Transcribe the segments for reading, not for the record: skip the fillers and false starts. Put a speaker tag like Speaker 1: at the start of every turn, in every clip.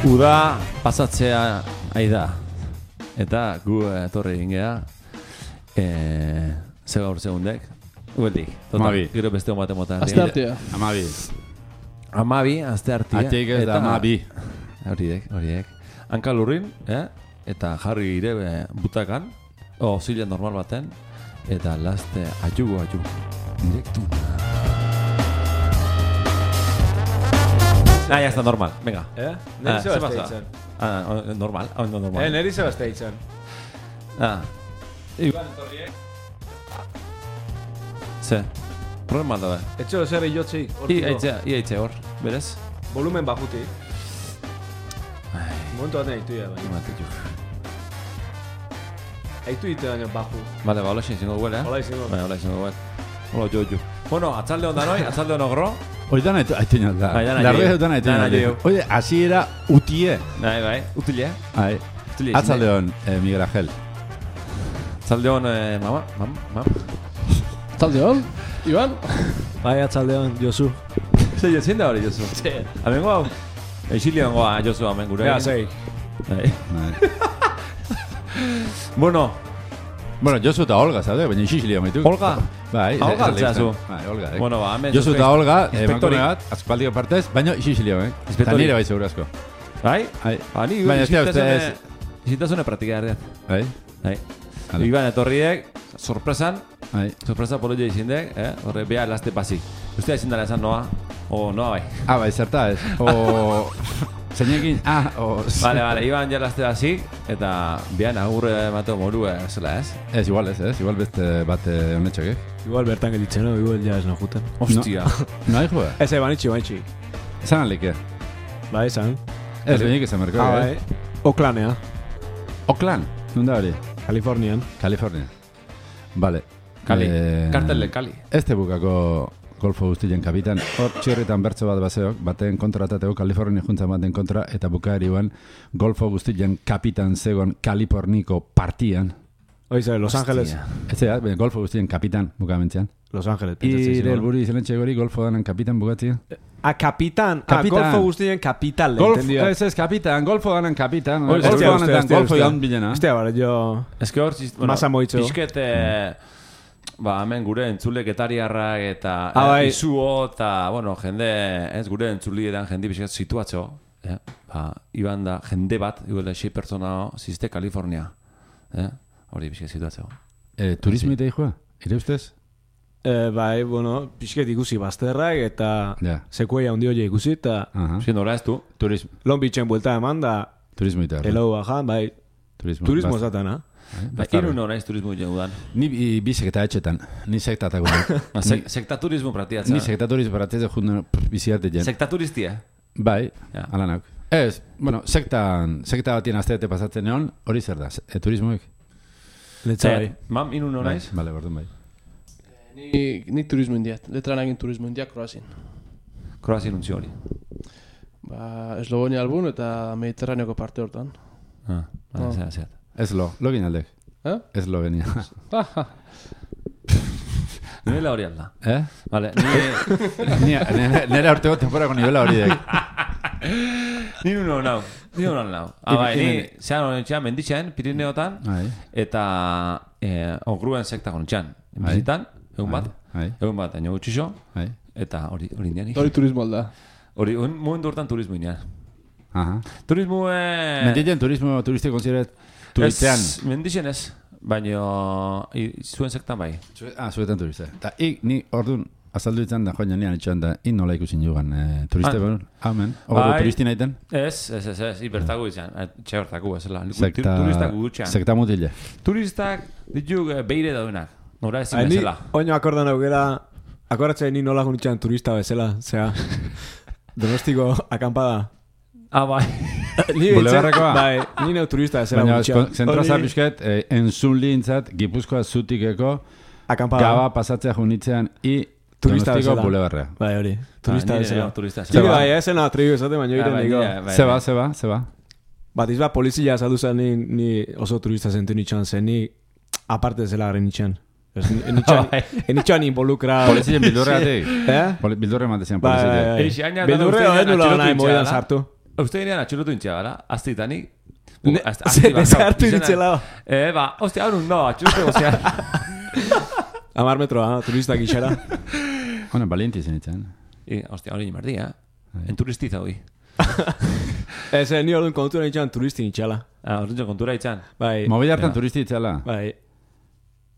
Speaker 1: Uda pasatzea aida. Eta gu etorri egin geha. Ze gaur segundek. Ueldik.
Speaker 2: Amabi.
Speaker 1: Gero beste hon baten motan.
Speaker 3: Azte artea.
Speaker 1: Amabi, azte artea.
Speaker 2: Ateik ez da amabi.
Speaker 1: Horiek. Hanka lurrin, eta jarri ire butakan. Zile normal baten. Eta laste atxugu. Direktu. Ya está normal, venga.
Speaker 4: Neri zeba esteitzen.
Speaker 1: Normal.
Speaker 4: Neri zeba esteitzen.
Speaker 1: Iban etorriek. Ze, problema da da.
Speaker 4: Etxo zer iotzi.
Speaker 1: Iaitze hor, berez?
Speaker 4: Volumen bajuti. Momentu baten eitu ya, baina. Eitu ite baina baju.
Speaker 1: Vale, hola izango dugu,
Speaker 4: Hola izango.
Speaker 1: Hola izango dugu. Hola, jo. Bueno, atzalde onda noi, atzalde onogro.
Speaker 2: Hoy dan aiteño da. Larre dan aiteño. Oye, así era utie.
Speaker 1: Bai, utile.
Speaker 2: Ai. Atzaldeon Miguel Ángel.
Speaker 1: Atzaldeon mama.
Speaker 3: Atzaldeon, Iban.
Speaker 4: Bai, atzaldeon, Josu.
Speaker 1: Ze jozien da hori, Josu?
Speaker 4: Ze.
Speaker 1: Amengo hau? Exilioangoa, Josu, amen gure.
Speaker 4: Ja, zei.
Speaker 1: Bueno,
Speaker 2: Josu eta Olga, zaude, baina Xixilio maitu.
Speaker 1: Olga?
Speaker 2: Bai,
Speaker 1: Olga altzeazu.
Speaker 2: Bai, Olga.
Speaker 1: Bueno, hemen
Speaker 2: Josu eta Olga,
Speaker 1: inspektori
Speaker 2: bat, azpaldiko partez, baina Xixilio, Eta nire bai seguro asko.
Speaker 1: Bai? Ni
Speaker 2: baina ez da
Speaker 1: izitasune praktika erdean.
Speaker 2: Bai?
Speaker 1: Iban etorriek, sorpresan,
Speaker 2: Bai.
Speaker 1: sorpresa polo jo izindek, horre beha laste pasi. Ustea izindara esan noa, o noa bai.
Speaker 2: Bai, zerta ez. O... Zeinekin,
Speaker 1: Vale, Iban ja laste hasi eta behan agurre mateo moru zela ez?
Speaker 2: Igual beste bat honetxok,
Speaker 4: Igual bertan gelitzen, no? Igual ja ez no juten.
Speaker 1: Hostia.
Speaker 2: No hai joa?
Speaker 4: Ez, banitxi.
Speaker 2: Zan alike?
Speaker 4: Bai, esan.
Speaker 2: Ez benik ezan merko,
Speaker 4: bai. Oaklandea.
Speaker 2: Oakland? Nunda hori?
Speaker 4: California.
Speaker 2: Vale.
Speaker 1: Kali. Kartelle Kali.
Speaker 2: Este bukako golfo guztien kapitan. Hor txirritan bertso bat baseok, baten kontratateko Kalifornia juntzan baten kontra, eta bukaeri ban golfo guztien kapitan zegoen Kaliforniko partian.
Speaker 4: Oize, Los Angeles.
Speaker 2: Ez da, golfo guztien kapitan bukamentzean.
Speaker 4: Los Angeles.
Speaker 2: Ire helburu izenetxe gori golfo danan kapitan bukatzea.
Speaker 4: Kapitan. Golfo guztien kapital.
Speaker 2: Ez, kapitan. Golfo danan kapitan. Golfo danan bilena.
Speaker 4: Estea, bara, jo...
Speaker 1: Ez que hor,
Speaker 4: masa moitxo.
Speaker 1: Pixket... hemen gure entzuleketariarrak eta izuo eta, jende, ez gure entzulietan jende bizkat situatzo. Iban da, jende bat, igual 6 pertsona ziste Kalifornia. Hori bizkat situatzo.
Speaker 2: Turismo ite joa? Ire ustez?
Speaker 4: Bai, bizkat ikusi bazterrak eta sekueia hundi hori ikusi eta...
Speaker 1: Nola ez du?
Speaker 4: Long Beachen buelta eman da...
Speaker 2: Turismo ite.
Speaker 4: Hello, ajan, bai. Turismo esatana.
Speaker 1: Iru no naiz turismo jengudan.
Speaker 2: Ni bi sekta etxetan. Ni sektatako.
Speaker 1: Sekta turismo pratiatza.
Speaker 2: Ni sekta turismo pratiatza junden biziarte jen.
Speaker 1: Sekta turistia?
Speaker 2: Bai, alanak. Ez, sekta batien azteete pasatzen egon, hori zer da, turismoek?
Speaker 4: Letza bai.
Speaker 1: Mam, inu no naiz?
Speaker 2: Bale, bordun bai.
Speaker 3: Ni turismo indiat. Letran egin turismo indiat Kroazin.
Speaker 1: Kroazin untzi hori?
Speaker 3: Eslovonia albun eta Mediterraneoko parte hortan.
Speaker 1: Zeat.
Speaker 2: Lo ginaldek. Eslovenia.
Speaker 1: Nivela hori alda. Vale,
Speaker 2: nire urtego temporako nivela hori dek.
Speaker 1: Ni uno nau. Ni zean honetxean menditxean, Pirineotan, eta ongruen sekta honetxean. Bizitan, egun bat, aino gutxixo, eta hori indian.
Speaker 3: Hori turismo alda.
Speaker 1: Hori, momentu hortan turismo indian. Turismo...
Speaker 2: Menditxean turismo turiste konsiderat turitzean.
Speaker 1: Menditxean ez, baina zuen sektan bai.
Speaker 2: Zuetan turiste. Eta ni orduan azaldu ditzen da joan janean etxean da nola ikusin jugan turiste behar. Amen. Ogo turisti naiten?
Speaker 1: Ez. Ibertagu izan. Txe hortaku ezela. Turistak gutxean.
Speaker 2: Sekta mutile.
Speaker 1: Turistak dituk beire daudenak. Nora ezin bezala.
Speaker 4: Oino akordan aukera, akoratzen ni nola gunitxean turista bezala. Zea, Donostiko akampada.
Speaker 1: Bai.
Speaker 2: Bulebarrekoa?
Speaker 4: Bai, ni neu turista bezala gunitxean.
Speaker 2: Baina, zentraza pixket, entzunli intzat, Gipuzkoa zutikeko, gaba pasatzea junitzean,
Speaker 4: turista
Speaker 2: Donostiko
Speaker 4: bezala.
Speaker 2: bulebarrea.
Speaker 4: Bai, hori. Turista bezala.
Speaker 1: Zeba.
Speaker 4: Bai, esen atribu esate, baina iren digo.
Speaker 2: Zeba.
Speaker 4: Bat izba polizia saldu zen ni oso turista zentu nitxan zen, ni aparte zela garen nitxan. Enitxan involucra...
Speaker 2: Polizien bildurreatik? Bildurre matezian polizia.
Speaker 4: Bildurre hori nula nahi moedan sartu.
Speaker 1: Uste ginean atxilotu intxea gara, aztitanik.
Speaker 4: Desartu iritzela.
Speaker 1: Hostia, hau no, atxilotu gozean.
Speaker 4: 10 metroa, turistak gixara.
Speaker 2: Hona, valienti zen itzen.
Speaker 1: Hostia, hori nimardi, En turistiza hoi.
Speaker 4: Ni orduan kontura itxan turistin itxala.
Speaker 1: Orduan kontura itxan.
Speaker 4: Bai.
Speaker 2: Mobil hartan turisti itzela.
Speaker 4: Bai.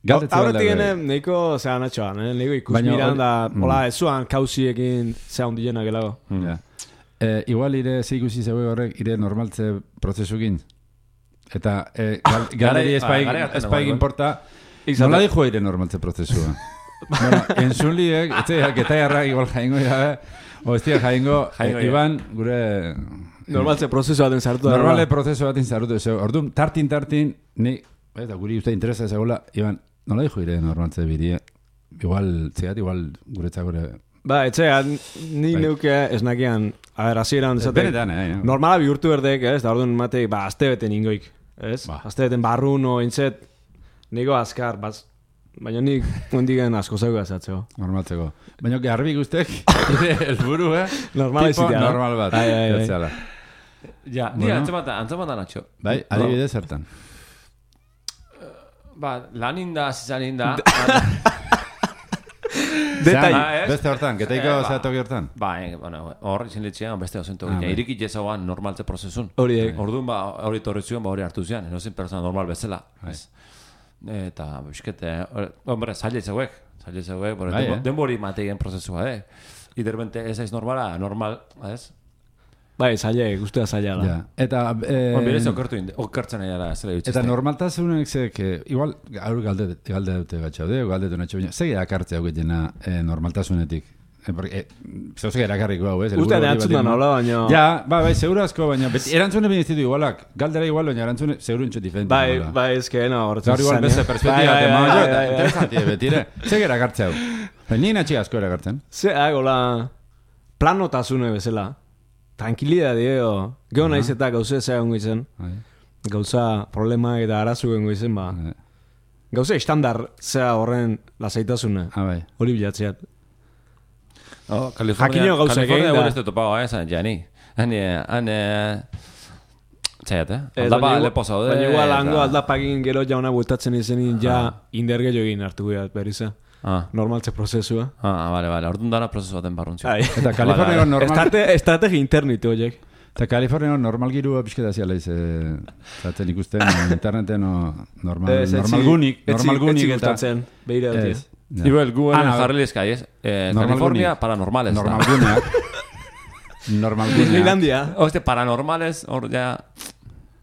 Speaker 2: Galdetzen
Speaker 4: Aurretik genen, neiko zean atxoan, neiko ikus miran da, hola, ez zuan kausiekin zean dienak elago.
Speaker 2: Igual ire ikusi zegoe horrek, ire normaltze prozesukin. Eta galderi espaik importa, nola dijo ire normaltze prozesua? Bueno, entzunliek, eta jarrak igual jaingo irabe, o ez dira jaingo, Iban, gure...
Speaker 4: Normaltze prozesu baten zartu da.
Speaker 2: Normaltze prozesu baten zartu da. Orduan, tartin, ni, eta guri uste interesa zegoela, Iban, nola dijo ire normaltze bidie? Igual, guretzak gure...
Speaker 4: Ba, etxean, ni neuke esnakian, hasieran dezatek...
Speaker 2: Benetan,
Speaker 4: normala bihurtu berdek, ez? Da orduan matei, azte beten ingoik, ez? Azte beten barrun, o intzet, niko azkar, baina nik ondigen asko zeugu azatzeko.
Speaker 2: Normaltzeko. Baina garbi guztek, elburu,
Speaker 4: Normala izitea.
Speaker 2: Normal bat.
Speaker 1: Ja, ni antzamatan atxo.
Speaker 2: Bai, adibidez zertan.
Speaker 1: Lan inda, zizan inda...
Speaker 2: Beste hortan, getaiko zehatoki hortan?
Speaker 1: Hor izin litxean beste ozentu gina. Irikit jezagoan normaltze prozesun. Orduan, hori torri zuen, hori hartu zian. Enozen persona normal bezala. Eta, biskete, hombre, zaila zeuek. Denbori mateien prozesua, Iderbente ez aiz normala, normal, ez?
Speaker 4: Bai, zaila, guztua zaila da.
Speaker 2: Eta...
Speaker 1: Berez okertzen egara, zela dutxezte.
Speaker 2: Eta normaltasunek zek, igual, gaur galde dute gatxaude, galde dute natxo baina, zege akartzea gutena normaltasunetik. Zauzek erakarriko hau, ez?
Speaker 4: Uste erantzun da nola, baina...
Speaker 2: Ja, bai, seguro asko, baina erantzune bine zitu igualak. Galdera igual, baina erantzune seguro intxo diferente.
Speaker 4: Bai, ezke, no, horretzen
Speaker 2: zan. Igual beste perspektiba, interesantie betire. Zege erakartzea hau. Nien atxik asko erakartzen.
Speaker 4: Ze, gola, planotasune bezala. Tranquilidade, geho nahiz eta gauze zea gongo izen. Gauza problema eta arazu gongo izen, ba. Gauze estandar zea horren lasaitasune. Hori bilatzeat.
Speaker 1: California gure ez topago, jani. Txaiat, aldapa lepo zaude.
Speaker 4: Baina igual hango aldapagin gero jauna bueltatzen izenin ja inderge jogin hartu guiat berriza. Normaltze prozesua.
Speaker 1: Vale, orduan dara prozesu baten barruntzio.
Speaker 2: Eta Kaliforniako normal...
Speaker 4: Estrategi internitu horiek.
Speaker 2: Eta Kaliforniako normal girua pixketa ziala zaten ikusten interneten normal gunik.
Speaker 4: Etzik gustatzen, behire dut.
Speaker 1: Ibel, guen jarrilizka, ez? California, paranormales.
Speaker 2: Normal guneak. Normal guneak.
Speaker 4: Disneylandia.
Speaker 1: Oste, paranormales, hor ja...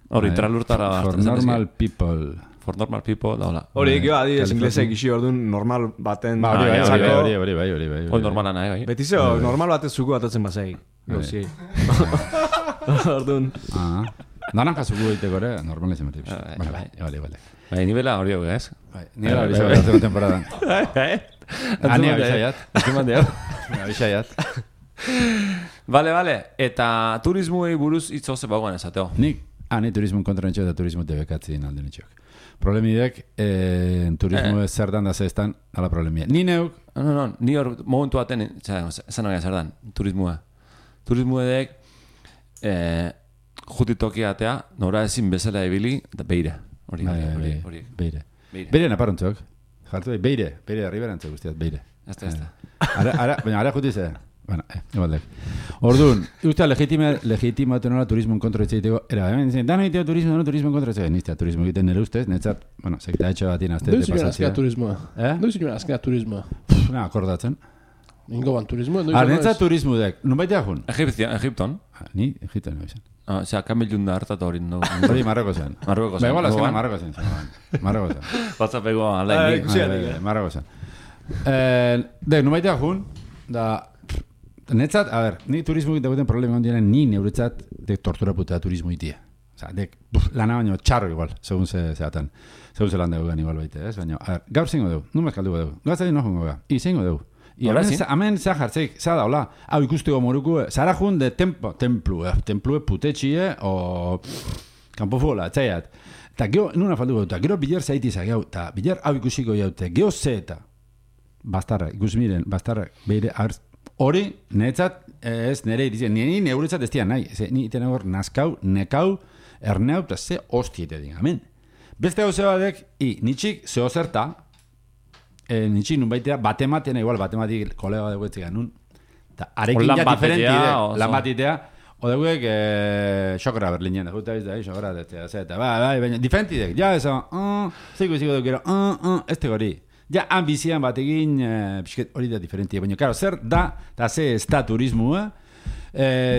Speaker 1: Hori, tralurtara...
Speaker 2: For normal people...
Speaker 1: For normal people, da hola.
Speaker 4: Hori, gero adidez inglesek isi orduan normal baten...
Speaker 2: Hori.
Speaker 1: Hori normala nahi, bai.
Speaker 4: Betizeo, normal batez zuku batatzen bazai. Gauziei. Orduan.
Speaker 2: Danan jasuku egiteko ere, normal izan bertiz. Bale.
Speaker 1: Bai, nivela hori hau, ez?
Speaker 2: Nivela hori izan bertiz temporadan. Ani abisaiat.
Speaker 1: Bale. Eta turismuei buruz itzo ze bagoan esateo.
Speaker 2: Ni turismo kontra nitxo eta turismo debekatzi alde nitxok. Problemidek, turismo ez zerdan da zestan, ala problemia. Ni neuk...
Speaker 1: No, ni hor momentu baten, zan hori zerdan, turismoa. Turismoedek, jutitoki atea, nora ezin bezala ebili, eta beire. Hori. Beire
Speaker 2: naparontzok. Jartu beire arriberantzok guztiat, beire.
Speaker 1: Ezta.
Speaker 2: Ara jutize. Bueno, igualdek. Orduan, usta legitimatu nola turismo kontra etxeiteko, dano egiteo turismo kontra etxeiteko, niztea turismo egiten nire ustez, netzat, sekta etxo bat inazte de pasatzea.
Speaker 3: Doizu joan azkena turismoa?
Speaker 2: Akordatzen.
Speaker 3: Ingo ban turismoa?
Speaker 2: Netzat turismo dek, nun baita jun?
Speaker 1: Egipton.
Speaker 2: Ni, Egipton no izan.
Speaker 1: Osea, kamilun da hartatu hori.
Speaker 2: Hori Marroko zen. Ba, igual azkena Marroko zen.
Speaker 1: Batzapego alain.
Speaker 2: Marroko zen. Nun baita jun, da... Netzat, a ver, ni turismo egiten problema ondienen ni neuretzat de tortura putea turismo itia. Osa, lana baino txarro igual, segun zeatan. Segun ze lan dugu igual baite, ez? Baina, a ver, gaur zingo dugu, nun mezkaldugu dugu. Gauzari no jongo ga, zingo dugu. Hemen za jartzeik, za daula, hau ikusteko moruku, zara jun de templue putetxie, o kanpofola, txaiat. Eta geho, nuna faldugu dugu, gero biler zaitiza geho, eta biler hau ikusiko jaute, geho ze eta, bastarra, ikus miren, bastarra, behire, hori, niretzat, ez nire iritzen, ni neuretzat ez dian nahi. Ni iten hor nazkau, nekau, erneu, eta ze hostiete digamen. Beste hau badek, nitxik zeo zerta, nitxik nun baitea, batematean, igual batematik kolega dugu etzik anun, eta arekin ja diferenti, lan batitea, odeguek xokra berlinen, juta bizta, xokra, eta baina, diferenti dek, ja, eso, ziko duk gero, este gori. Ja, ambizian batekin, pixket hori da diferentia, baina, karo, zer da, eta ze ez da turismua,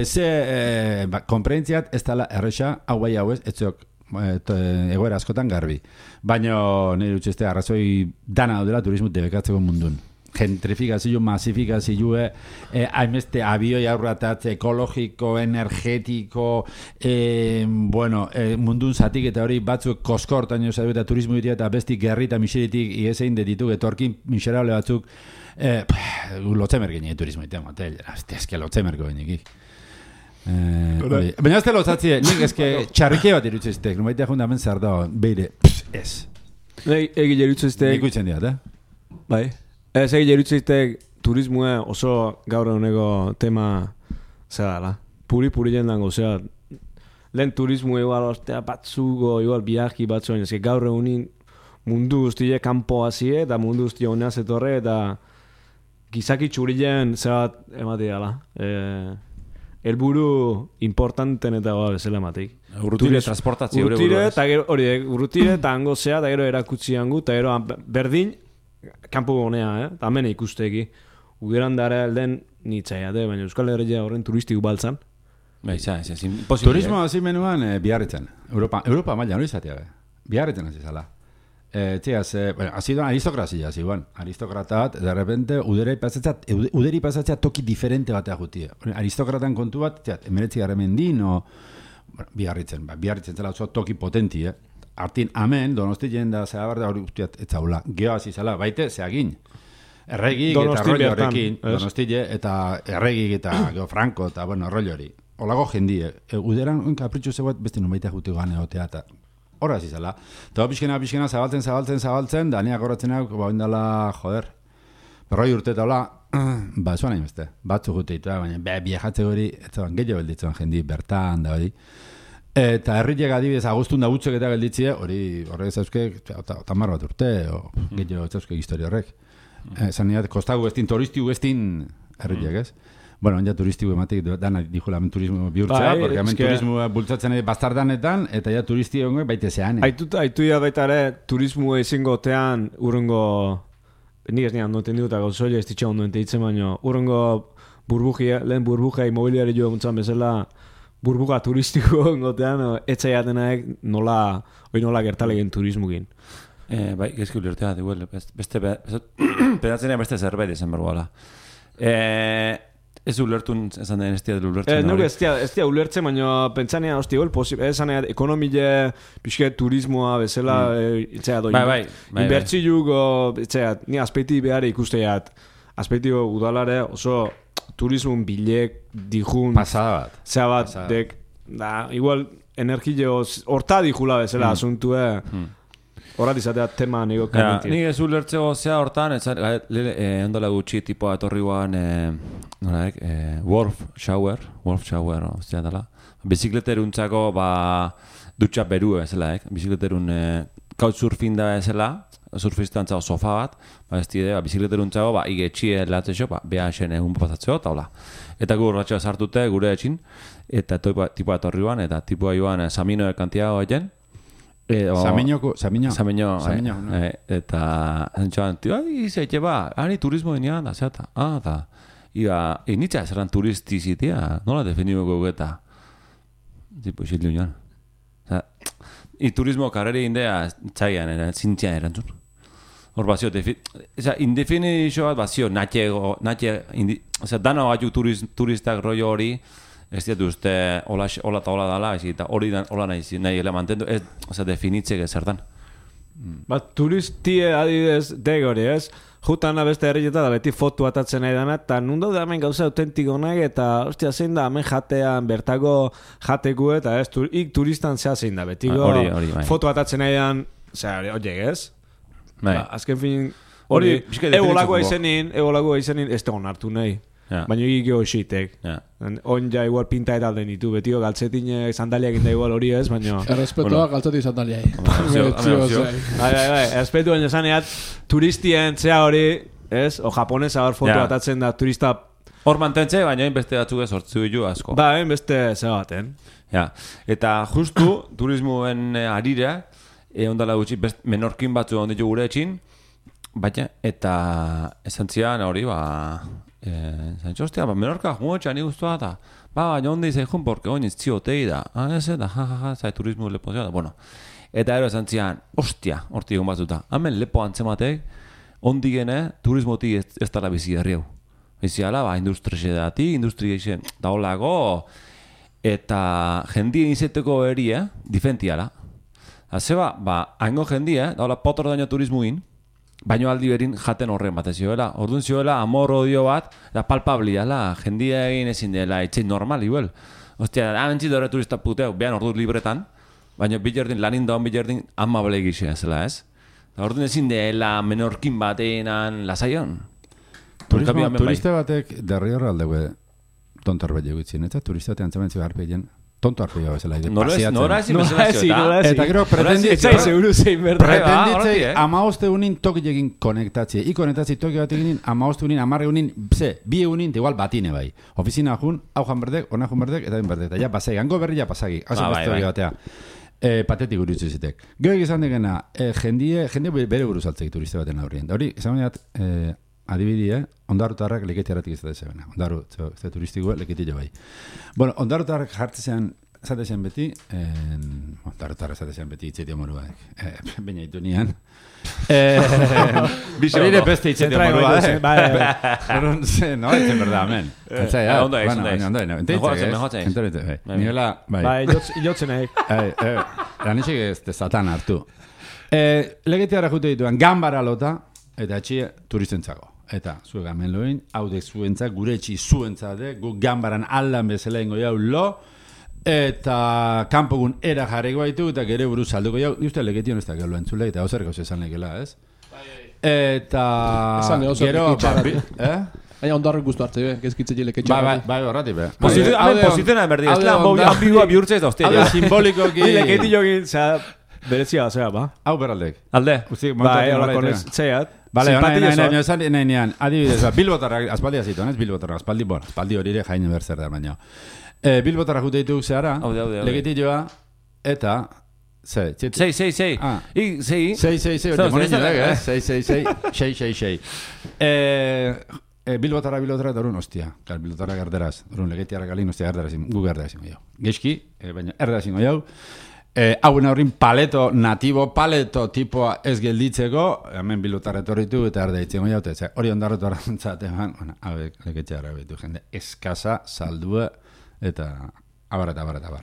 Speaker 2: ze konprentziat ez dala erresa, hau bai hau ez zuok egoera askotan garbi. Baina, nire utxeste, arrazoi dana daudela turismo debekatzeko mundun. Gentrifikazio, masifikazio, hainbeste abioi aurratatze, ekologiko, energetiko, mundun zatik eta hori batzuk koskortaino zaitu eta turismo ditia eta besti gerri eta miseritik iesein dedituk, etorkin miserable batzuk, lotzemer gine turismo ditia motel, ezke lotzemer goenikik. Baina ez lotzatzie, nik ezke txarrike bat irutzeztek, numaitea jundamen zer da, beire, ez.
Speaker 4: Egile irutzeztek.
Speaker 2: Nik uitzen diat,
Speaker 4: Bai. Ez egile irutzeztek turismoa oso gaur eguneko tema zera, puri jendango, zera, lehen turismo igual ostea batzugo, igual biarki batzuen, ezke gaur egunin mundu guztie kanpo hazie, eta mundu guztie honea zetorre, eta gizaki txurilen zera ematea, helburu importanten eta bezala emateik.
Speaker 1: Urrutire transportatzio gure
Speaker 4: buruz. Urrutire eta hango zea, eta gero erakutsi hango, eta gero berdin, kanpo gonea, eta hemen ikusteki. Ugeran dara elden nitzaia, baina Euskal Herria horren turistik baltzan.
Speaker 2: Turismo hasi menuan biarritzen. Europa maila hori izatea, biarritzen hasi zala. Hasi doan aristokrazia, aristokratat, de repente, uderi pasatzea toki diferente batea jutia. Aristokratan kontu bat, emeretzi garremendin, biarritzen zela oso toki potenti, Artin, amen, donosti jenda zehar da hori guztiat etzaula. Geo hasi zala, baite, zeagin. Erregik eta rollo horrekin, donostile, eta erregik eta Geo Franco, eta rollo hori. Olago jendie, uderan kapritxu zeuat beste numaitea jutiko gane otea, eta horra hasi zala. Eta pixkena zabaltzen, da niak horretzen hau, indala, joder, berroi urte eta hola, zuan nahi beste, batzu juteitu, baina biajatze hori, ez zaban gehiago belditzen jendi, bertan da hori. Eta herriak adibidez agustun da gutzek eta gelditzie, hori horrek zauzke, tamar bat urte, gehiago zauzke historia horrek. Zaniat, kostagu estin, turistigu estin herriak ez. Bueno, ja turistigu ematik, dana dijula hemen turismo bihurtzea, porque hemen turismo bultzatzen bastardanetan, eta ja turisti hongo baite zean.
Speaker 4: Aitu ya baita ere, turismo ezingotean, urrengo, nik ez nian noten diguta gauzoia, ez ditxa ondo enteitzen baino, urrengo lehen burbuja imobiliari joa muntzan bezala, burbuga turistiko gotean, etxaiatenaek nola gertalegen turismugin.
Speaker 1: Bai, gezki ulertea, beste pedatzenia beste zerbait izan bergoala. Ez ulertun esan den ez tia ulertzen.
Speaker 4: Nuke ez tia ulertzen, baina pentsanean hosti gol, esan ekonomile, pixke turismoa bezala, itxea doi.
Speaker 1: Bai.
Speaker 4: Inbertziluko, itxea, ni aspekti behar ikusteat, aspektio udalare oso turismun bilek dijun
Speaker 2: pasada bat.
Speaker 4: Zea bat, dek, igual energio horta dijula bezala asuntue. Horat izatea tema nego kanentin.
Speaker 1: Nik ez ulertzeko zea hortan, ondola gutxi tipoa etorri guan, Wolf Shower, zea dela. Bizikleteruntzako, dutxa berue bezala, bizikleterun couchsurfing da bezala, surfistantza sofa bat, ez dide, bizikleteruntzako, igetxie latzeko, beha esen egun pasatzeko, eta hola. Eta gu horratxoa sartute gure etxin, eta tipoa etorri guan, eta tipoa joan Samino de Kantiago egin, Samino, eta zentxoan, izaite hani turismo denean, da zeata, da, nitza esaran turistizitia, nola definimoko gugeta, tipo, xildu joan. Turismo karreri indea, txaian, zintzian erantzun. Hor bazio, indefinizio bat bazio, dana batu turistak rollo hori, ez diatu uste hola eta hola dala, eta hori hola nahi elemantendu, ez definitzek ezertan.
Speaker 4: Turistie adidez degori ez, jutana beste herrieta da beti fotu atatzen nahi dana, eta nundau da hemen gauza autentiko nahi, eta ostia zein da hemen jatean, bertako jateku, eta ez, turistan zea zein da, betiko fotu atatzen nahi dan, horiek ez? Azken fin, hori, egolagoa izenin, ez tegon hartu nahi. baina egiko xitek. On ja igual pinta eta den ditu, betio galtzetine sandaliak inda igual hori ez, baina...
Speaker 3: Errespetua galtzeti sandaliai.
Speaker 4: Errespetu baina zaneat, turistien zea hori, ez? O japonesa hor foto atatzen da turista...
Speaker 1: Hor mantentze, baina beste batzuk ez hortzu ditu asko.
Speaker 4: Beste ze baten.
Speaker 1: Ja, eta justu turismoen arira, ondala gutxi, menorkin batzu onditu gure etxin, baina, eta esan zian hori, zantxo, ostia, menorka juotxan iguztua da, baina ondi zaizun, porque oin iztziotei da, ez da, zai turismo lepo zio da, bueno, eta ero esan zian, ostia, horti egon batzuta, hemen lepo antzematek, ondigene turismotik ez dara bizi herriau. Biziala, industria izan, daolago, eta jendien izeteko erie, difentiala. Zeba, haingo jendie, daula potor daño turismuin, baino aldi berin jaten horren bat zioela. Orduan zioela, amor odio bat, da palpabliala, jendie egin ezin dela, etxein normal, igual. Ostia, hamentzi dore turista puteu, behan ordu libretan, baina bilardin, lanin daun bilardin, amable egizea zela, ez? Orduan ezin dela menorkin batean lasaion.
Speaker 2: Turista batek derri horre aldegue tonto arbeit egutzen, eta turista batean zementzi harpeien tonto harpeia bezala.
Speaker 1: Nora ezin.
Speaker 2: Eta gero pretenditzei amaoste unin tokilekin konektatzie. I konektatzie toki bat eginin amaoste unin, amarre unin, bi egunin, igual batine bai. Ofizina jun, hau jan berdek, ona jun berdek, eta bin berdek. Eta ja pasai, hango berri ja pasagi. Hauzen beste hori batea. Patetik gurutzu zitek. Gero egizan degena, jendie bere buruz altzeik turista baten aurrien. Da hori, izan bainat, adibidie, ondarutarrak leketiaratik izate zebena. Ondaru, ez turistikoa, leketila bai. Bueno, ondarutarrak jartzean, zatezean beti, ondarutarrak zatezean beti itzetia morua. Baina itu nian. Bire beste itzetia morua. No, itzen berda, amen.
Speaker 1: Ondo egin.
Speaker 2: Niola,
Speaker 4: bai. Ilotzen egin.
Speaker 2: Lanitxek ez de satan hartu. Leketiara jute dituan, gambara lota, eta etxia turistentzako. Eta zuek hemen loin, haude zuentzak, gure etxi zuentzade, gu gambaran aldan bezala ingo jau lo, eta kanpogun era jarriko baitu, eta gere buruz salduko jau, uste leketion ez da gero entzule, eta hauzer gauz esan lekela, ez? Eta... Gero...
Speaker 3: Baina ondarrek guztu hartze, gezkitze jeleketxe.
Speaker 2: Bai, horrati, be.
Speaker 1: Posizionan berdi, ez lan ambigua bihurtze ez da, hostia.
Speaker 2: Hau simbolikoki...
Speaker 4: Leketi jokin, berezia, zera, ba?
Speaker 2: Hau beraldek.
Speaker 1: Alde.
Speaker 4: Bai, horako zeiat.
Speaker 2: Bale, nahi, adibidez, Bilbotarrak, aspaldi azituan, ez Bilbotarrak, aspaldi hori ere jaine berzer da, baina. Bilbotarrak jute dituk zehara, legetioa, eta... Sei. Bilbotarra, eta orun, ostia. Bilbotarra garderaz, orun, legetiarra galin, ostia, garderazin, gu garderazin goiau. Geizki, baina, erderazin goiau. Hauen horrin natibo paleto tipoa ez gelditzeko, hemen Bilbotarra etorritu eta arda itzen goiau, eta hori ondarrotu arrantzatean, hauek legetiarra behitu, jende, eskasa, saldua, eta abar.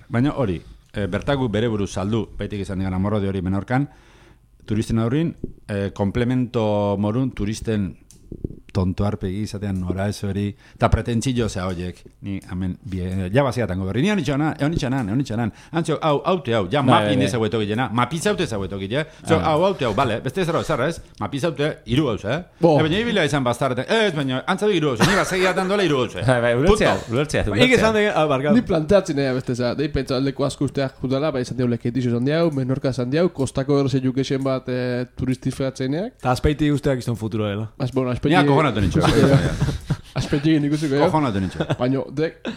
Speaker 2: Baina hori, bertaku bere buruz saldu, baitik izan digan amorrode hori menorkan, turisten horrin, komplemento morun turisten tonto arpegi izatean nora ez hori, eta pretentzillo zea horiek, ni hemen, jabaziatango berri, ni honitxanan, antzio, hau, ja mapin ezaguetok gilena, mapizaute ezaguetok gile, hau, bale, beste ez zarra ez, mapizaute iru gauz, baina ibila izan bastarretan, ez, baina, antzabe iru gauz, ni bazegiatan dola iru gauz,
Speaker 1: ulertzea.
Speaker 3: Ni planteatzen ega beste za, dei pentsa aldeko asko usteak jutala, bai izan diau leketixo izan diau, menorka izan diau, kostako erose jukesen bat turistifeatzeneak.
Speaker 4: Eta azpeiti usteak izan futuro dela.
Speaker 2: Kojonatu nintxo.
Speaker 3: Aspetxekin ikusiko.
Speaker 2: Kojonatu nintxo.
Speaker 3: Baina,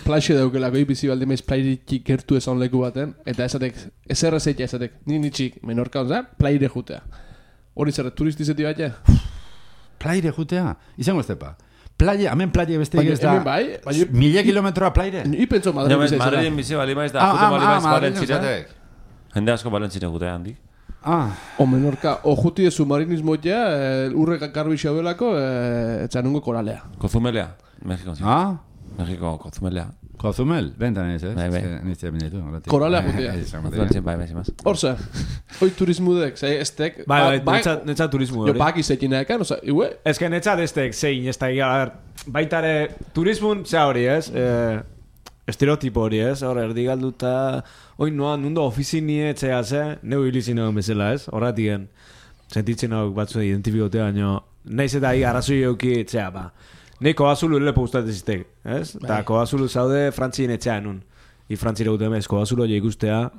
Speaker 3: planxe daukelako ibizi balde maiz plairik gertu esan leku baten, eta esatek, eserrezeitea esatek, nitxik menorka onza, plaire jutea. Hori zerre, turistizeti bat ja?
Speaker 2: Plaire jutea? Izango ez tepa. Plaia, hemen plaia beste ez da...
Speaker 3: Bai,
Speaker 2: 1000 kilometroa plaire?
Speaker 3: Ni pentso Madrid bizi ezera.
Speaker 1: Madrid bizi bali maiz da, jutu bali maiz balentzira. Jende asko balentzira jutea handik.
Speaker 3: O menorka, o juti de submarinismo ja, urreka karbixo belako, etxanungo koralea.
Speaker 1: Kozumelea, Mexiko. Mexiko, Kozumelea.
Speaker 2: Kozumel, bentan ez,
Speaker 3: Koralea jutia. Horza, hoi turismudek, estek...
Speaker 4: Netza turismu hori.
Speaker 3: Jo, baki zekin ekan, oza, iue?
Speaker 4: Ez que netza destek, zein, ez da, baitare, turismun, zea hori, ez? Estereotipo hori, ez? Hor, erdigalduta... Hoi noan, nundo ofizinie etxea ze, neu hilizin egon bezala, ez? Horratien, sentitzen hau batzu identifikotea, baina naiz eta arrazoi euki etxea, ba. Nei Koazulu lepo gustatzen ziztek, ez? Eta Koazulu zaude Frantzien etxean nun. Frantzira gute emez, Koazulu hori ikustea,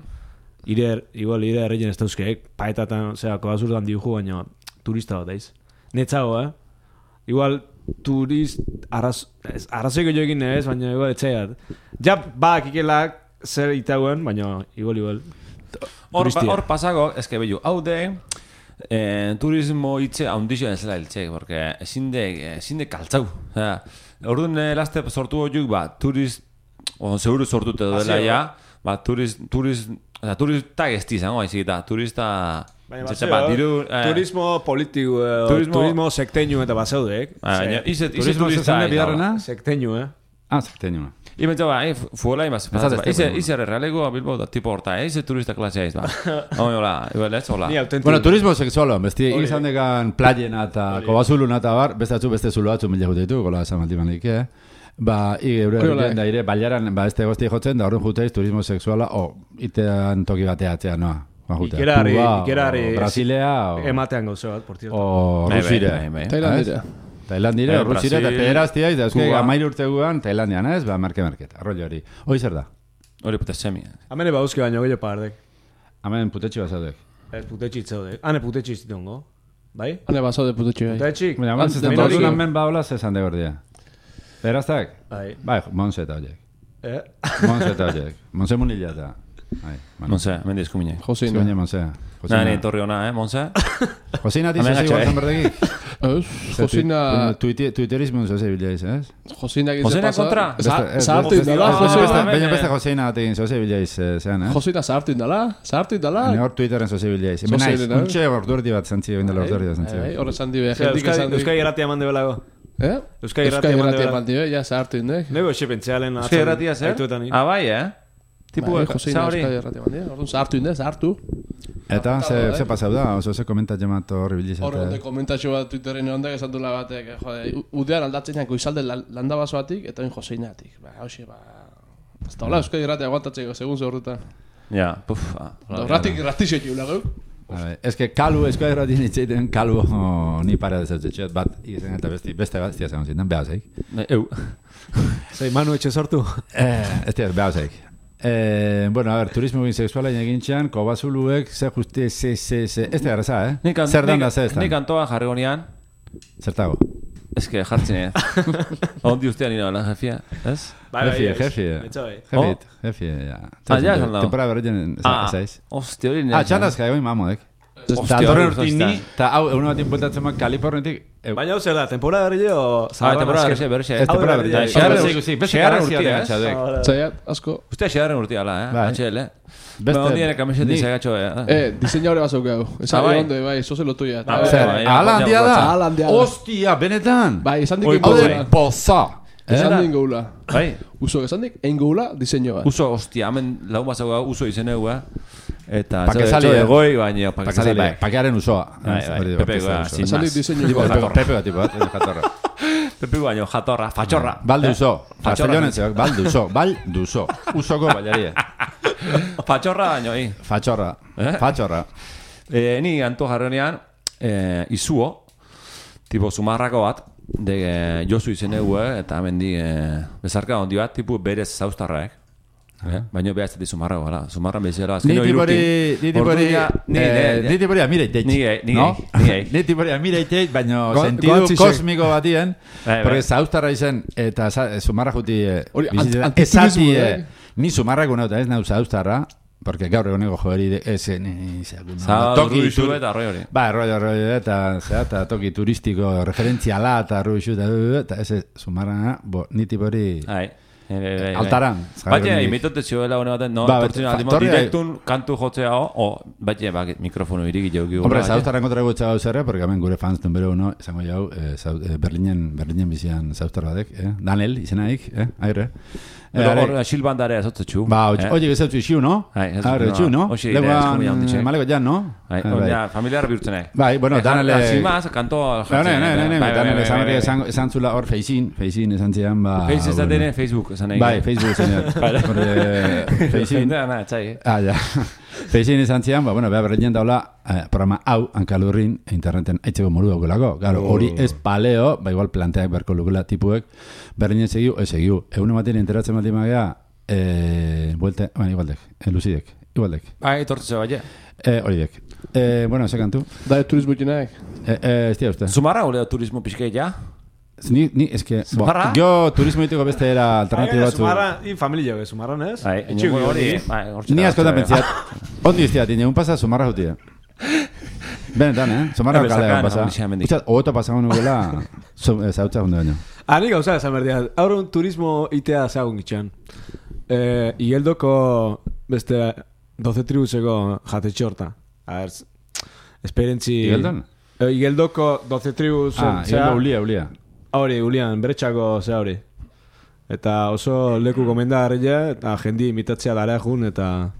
Speaker 4: igual erreien ez dauzkeek, paetatan, Koazulu dan diuju, baina turista bat daiz. Netzago, Igual arrazoiko jo egin ez, baina igual etxeat. Ja, ikelak zer itagoen, baina igual.
Speaker 1: Hor pasako, eske behiu, hau de, turismo hitze haundixo ez zela hiltxek, porque ezin de kaltzau. Orduan laste sortu horiuk, seguru sortute duela ja, turistak ez dizango, turista...
Speaker 4: Turismo politiko, turismo sekteño eta basaudek.
Speaker 2: Turismo zezane bidarrena?
Speaker 4: Sekteño,
Speaker 2: sekteño.
Speaker 1: Imentza fuela imaz. Ize realego Bilbo da tipo horta, ize turista klasea iz, Hola, igual ez, hola.
Speaker 2: Bueno, turismo sexualo, besti izan dekan playena eta Kobasuluna eta bar, beste zulo batzu mila jute ditu, gola esan maldimanik, Eure da ire, baiaran, este gozti jotzen, da horren juteiz turismo sexuala, itean toki bateatzea, noa.
Speaker 4: Ikerari
Speaker 2: Brasilea
Speaker 4: ematean gauze bat, por cierto.
Speaker 2: O Rusire. Tailandire, Rusire eta pederaztia, da euskei 13 urte guan Tailandian, ez? Market, arrollo hori. Hoi zer da?
Speaker 1: Hori putesemi.
Speaker 4: Hamene bauzke baino gehiago pardek.
Speaker 2: Hamen putetxi bazaudek.
Speaker 4: Putetxi itzaudek. Hane putetxi izitongo. Bai?
Speaker 3: Hane bazaude putetxi bai.
Speaker 4: Putetxi.
Speaker 2: Orduan men baula zezan de gordia. Pederaztak? Bai, Monse eta horiek. Monse eta horiek. Monse munila eta...
Speaker 1: Monse, mendiz kumine.
Speaker 2: Josina. Monse.
Speaker 1: Nani, torri hona, Monse?
Speaker 2: Josina tizu zego zan berdegi?
Speaker 3: Josina...
Speaker 2: Twitterismo zoze bilaiz, ez?
Speaker 3: Josina
Speaker 1: kontra?
Speaker 3: Zahartu indala.
Speaker 2: Baina beste Josina ategin zoze bilaiz zean, ez?
Speaker 3: Josina zahartu indala.
Speaker 2: Hor Twitteren zoze bilaiz. Menaiz, untxe ordurdi bat zantzi, oindela ordurdi bat zantzi.
Speaker 3: Horre zandi be,
Speaker 4: Euskal Irratia mande belago.
Speaker 3: Euskal Irratia mande be, ja zahartu indek.
Speaker 4: Nego xe pentsealen...
Speaker 1: Euskal Irratia zer? Bai, Tipo
Speaker 3: Josina Euskal Irratia mande, orduan zahartu indek, zahartu.
Speaker 2: Eta, ze pasau da, oso ze komentatxe mat horri bilizate.
Speaker 3: Horre komentatxo bat Twitterin ondak esan dula batek, udean aldatzen janko izalde landa basoatik, eta oin Joseinatik. Hauxe, ez da hola Euskal Irratia aguantatzeko, segun ze horretan.
Speaker 1: Ja, puf.
Speaker 3: Ratixek eula gau.
Speaker 2: Ez que kalu, Euskal Irratien itzeiten kalu ni para dezautzetxeat, bat izen eta beste bat, ez dira zindan, behauzeik.
Speaker 4: Zei, Manu etxe sortu?
Speaker 2: Ez dira, behauzeik. Bueno, a ver, turismo sexuala egintxean, Kobazuluek, ze ez da garraza, Zer dan da ze ez da?
Speaker 1: Nik antoa jarri gonean.
Speaker 2: Zertago?
Speaker 1: Ez que jartzen, Ondi ustean nina bala, jefia, ez?
Speaker 2: Jefi, ja.
Speaker 1: Ja, esan dago.
Speaker 2: Temporada berreien, ez?
Speaker 1: Hostia, hori nire.
Speaker 2: Txandazka, egoi mamodek.
Speaker 1: Hostia,
Speaker 2: torren urtin ni, eta hau, egun bat inpultatzen mak Kalifornetik.
Speaker 4: Baina hau zer da, temporada berri o...
Speaker 1: temporada berri,
Speaker 2: ez temporada berri.
Speaker 1: Xegarren urtia,
Speaker 3: Zaiat, asko.
Speaker 1: Ustea xegarren urtia, HL. Baina ondien kamiseti zagatxo,
Speaker 3: diseñaure bat zaukau. Eza ondo, bai, zoze lo tuya.
Speaker 2: Ala handia da? Hostia, benetan?
Speaker 3: Bai, esan dik ingoula.
Speaker 2: Poza.
Speaker 3: Esan dik ingoula.
Speaker 1: Bai.
Speaker 3: Uso, esan dik ingoula diseño bat.
Speaker 1: Uso, hostia, hemen lagun bat zaukau, uso izeneu, Eta
Speaker 2: pakesali
Speaker 1: egoi, baina pakesali bai.
Speaker 2: Pakearen usoa.
Speaker 1: Pepe goa, sin
Speaker 3: más.
Speaker 2: Pepe bat, tipo bat, jatorra.
Speaker 1: Pepe baino, jatorra, fachorra.
Speaker 2: Balde uso. Castellonen zeak, balde uso. Usoko baiarie.
Speaker 1: Fachorra baino,
Speaker 2: Fachorra.
Speaker 1: Ni anto jarrenean, izuo, tipo sumarrako bat, de Josu izenegu, eta hemen di bezarka ondi bat, tipo berez zauztarraek. Baina behaz ez sumarra gara. Sumarra bezala azkenio irutin.
Speaker 2: Niti bori amireitek. Niti bori amireitek, baina sentidu kosmiko batien. Porque zauztarra izen, eta sumarra juti esati, ni sumarra guna eta ez nau zauztarra, porque gaur egoneko joeri esen
Speaker 1: toki isu eta arroi hori.
Speaker 2: Ba, arroi eta toki turistiko referentziala eta arroi isu eta ese sumarra, niti bori... Altaran.
Speaker 1: Baina, imitote zioela hone baten, no? Direktun kantu jotzea baina, mikrofono irigi jau gigu.
Speaker 2: Hombre, zauztarran kontra gutxa gau zerre, porque hemen gure fans numero uno, izango jau, Berlinen bizian zauztar batek, Daniel, izenaik, aire.
Speaker 1: Hor, xilbandare azotzetxu.
Speaker 2: Ba, oie gezautzu ixiu, no? Aurretxu, no? Leguan, maleko jan, no?
Speaker 1: Familiar bihurtzenek.
Speaker 2: Bai, bueno, Daniel...
Speaker 1: Zimaz, kantoa...
Speaker 2: Daniel esan zula hor feizin esan zian, ba...
Speaker 1: Feiz ez da Facebook, esan egin.
Speaker 2: Bai, Facebook esan egin. Feizin.
Speaker 1: Ja.
Speaker 2: Feixin izan zian, beha berreinen daula programa hau hankalurrin interneten aitzeko modu daukelago. Claro, hori ez paleo, igual planteak berko lukela tipuek, berreinen segiu, segiu. Egun ematen enteratzen bat imagea, buelte, igualdek, Lucidek, igualdek.
Speaker 1: Etortze baina.
Speaker 2: Horidek. Ese kantu.
Speaker 3: Da, turismo itinak.
Speaker 2: Ez tia uste.
Speaker 1: Zumarra gure turismo pixkei ja?
Speaker 2: Ni, eske, jo turismo itiko beste era alternatibo batzu.
Speaker 4: Zumarra, familia jo, Zumarran ez?
Speaker 1: Etxugu hori.
Speaker 2: Ni askotan pentziat, ondi iztiat, un pasa Zumarra jutia. Benetan, Zumarra kalea pasa. Ustat, ogoto pasagun nugela, zautza hundu baino.
Speaker 4: Ani gauza esan berdia, aurrun turismo itea zagun gitxan. Igeldoko beste 12 tribuseko jatetxe horta. A ver, esperientzi...
Speaker 2: Igeldon?
Speaker 4: Igeldoko 12 tribus...
Speaker 2: Igeldo ulia.
Speaker 4: Hori, ulian, beretxako hori. Eta oso leku gomendagarria, eta jendi imitatzea dara jun, eta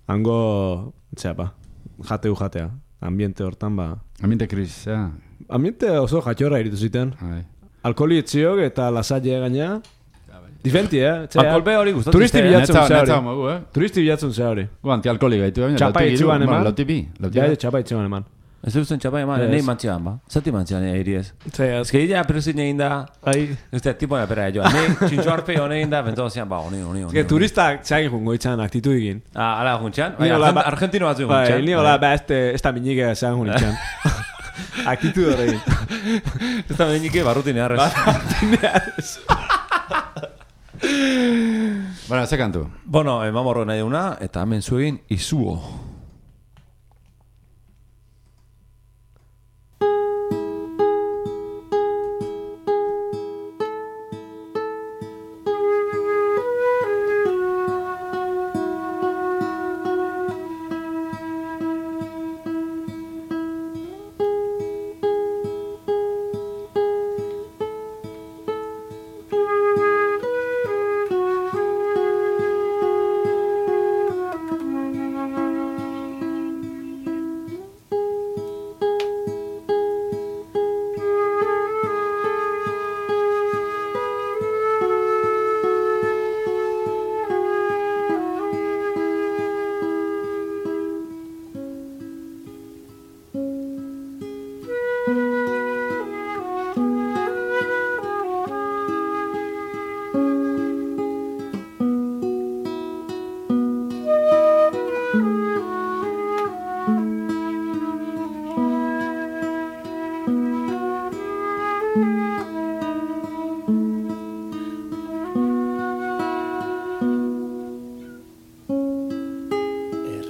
Speaker 4: hango, jatea. Ambiente hortan,
Speaker 2: Ambiente krisis,
Speaker 4: Ambiente oso jatxorra iritu ziten. Alkoholi etziok eta lasaile gaina. Diferenti,
Speaker 1: Alkolpe hori gustatzen.
Speaker 4: Turisti bilatzen zehari.
Speaker 2: Netza,
Speaker 4: Turisti bilatzen zehari.
Speaker 2: Antialkoholi gaitu.
Speaker 4: Txapa itxuan eman.
Speaker 2: Lautipi.
Speaker 4: Txapa itxuan eman.
Speaker 1: Ez duzen txapa eman, nahi mantxean, Zati mantxean eri ez. Ez que illa presin egin da, ez da, tipo na pera joan. Nahi, txintxo arpe hone egin da, bentoan zian, honi.
Speaker 4: Ez que turistak txagin jungo itxan aktitu egin.
Speaker 1: Ala juntxan? Argentino batzu
Speaker 4: juntxan. Ni hola, ez da minike zean jun itxan. Aktitu dore egin.
Speaker 1: Ez da minike barrutinearrez.
Speaker 2: Ze kantu?
Speaker 1: Mamorro nahi duna, eta hemen zuegin izuo.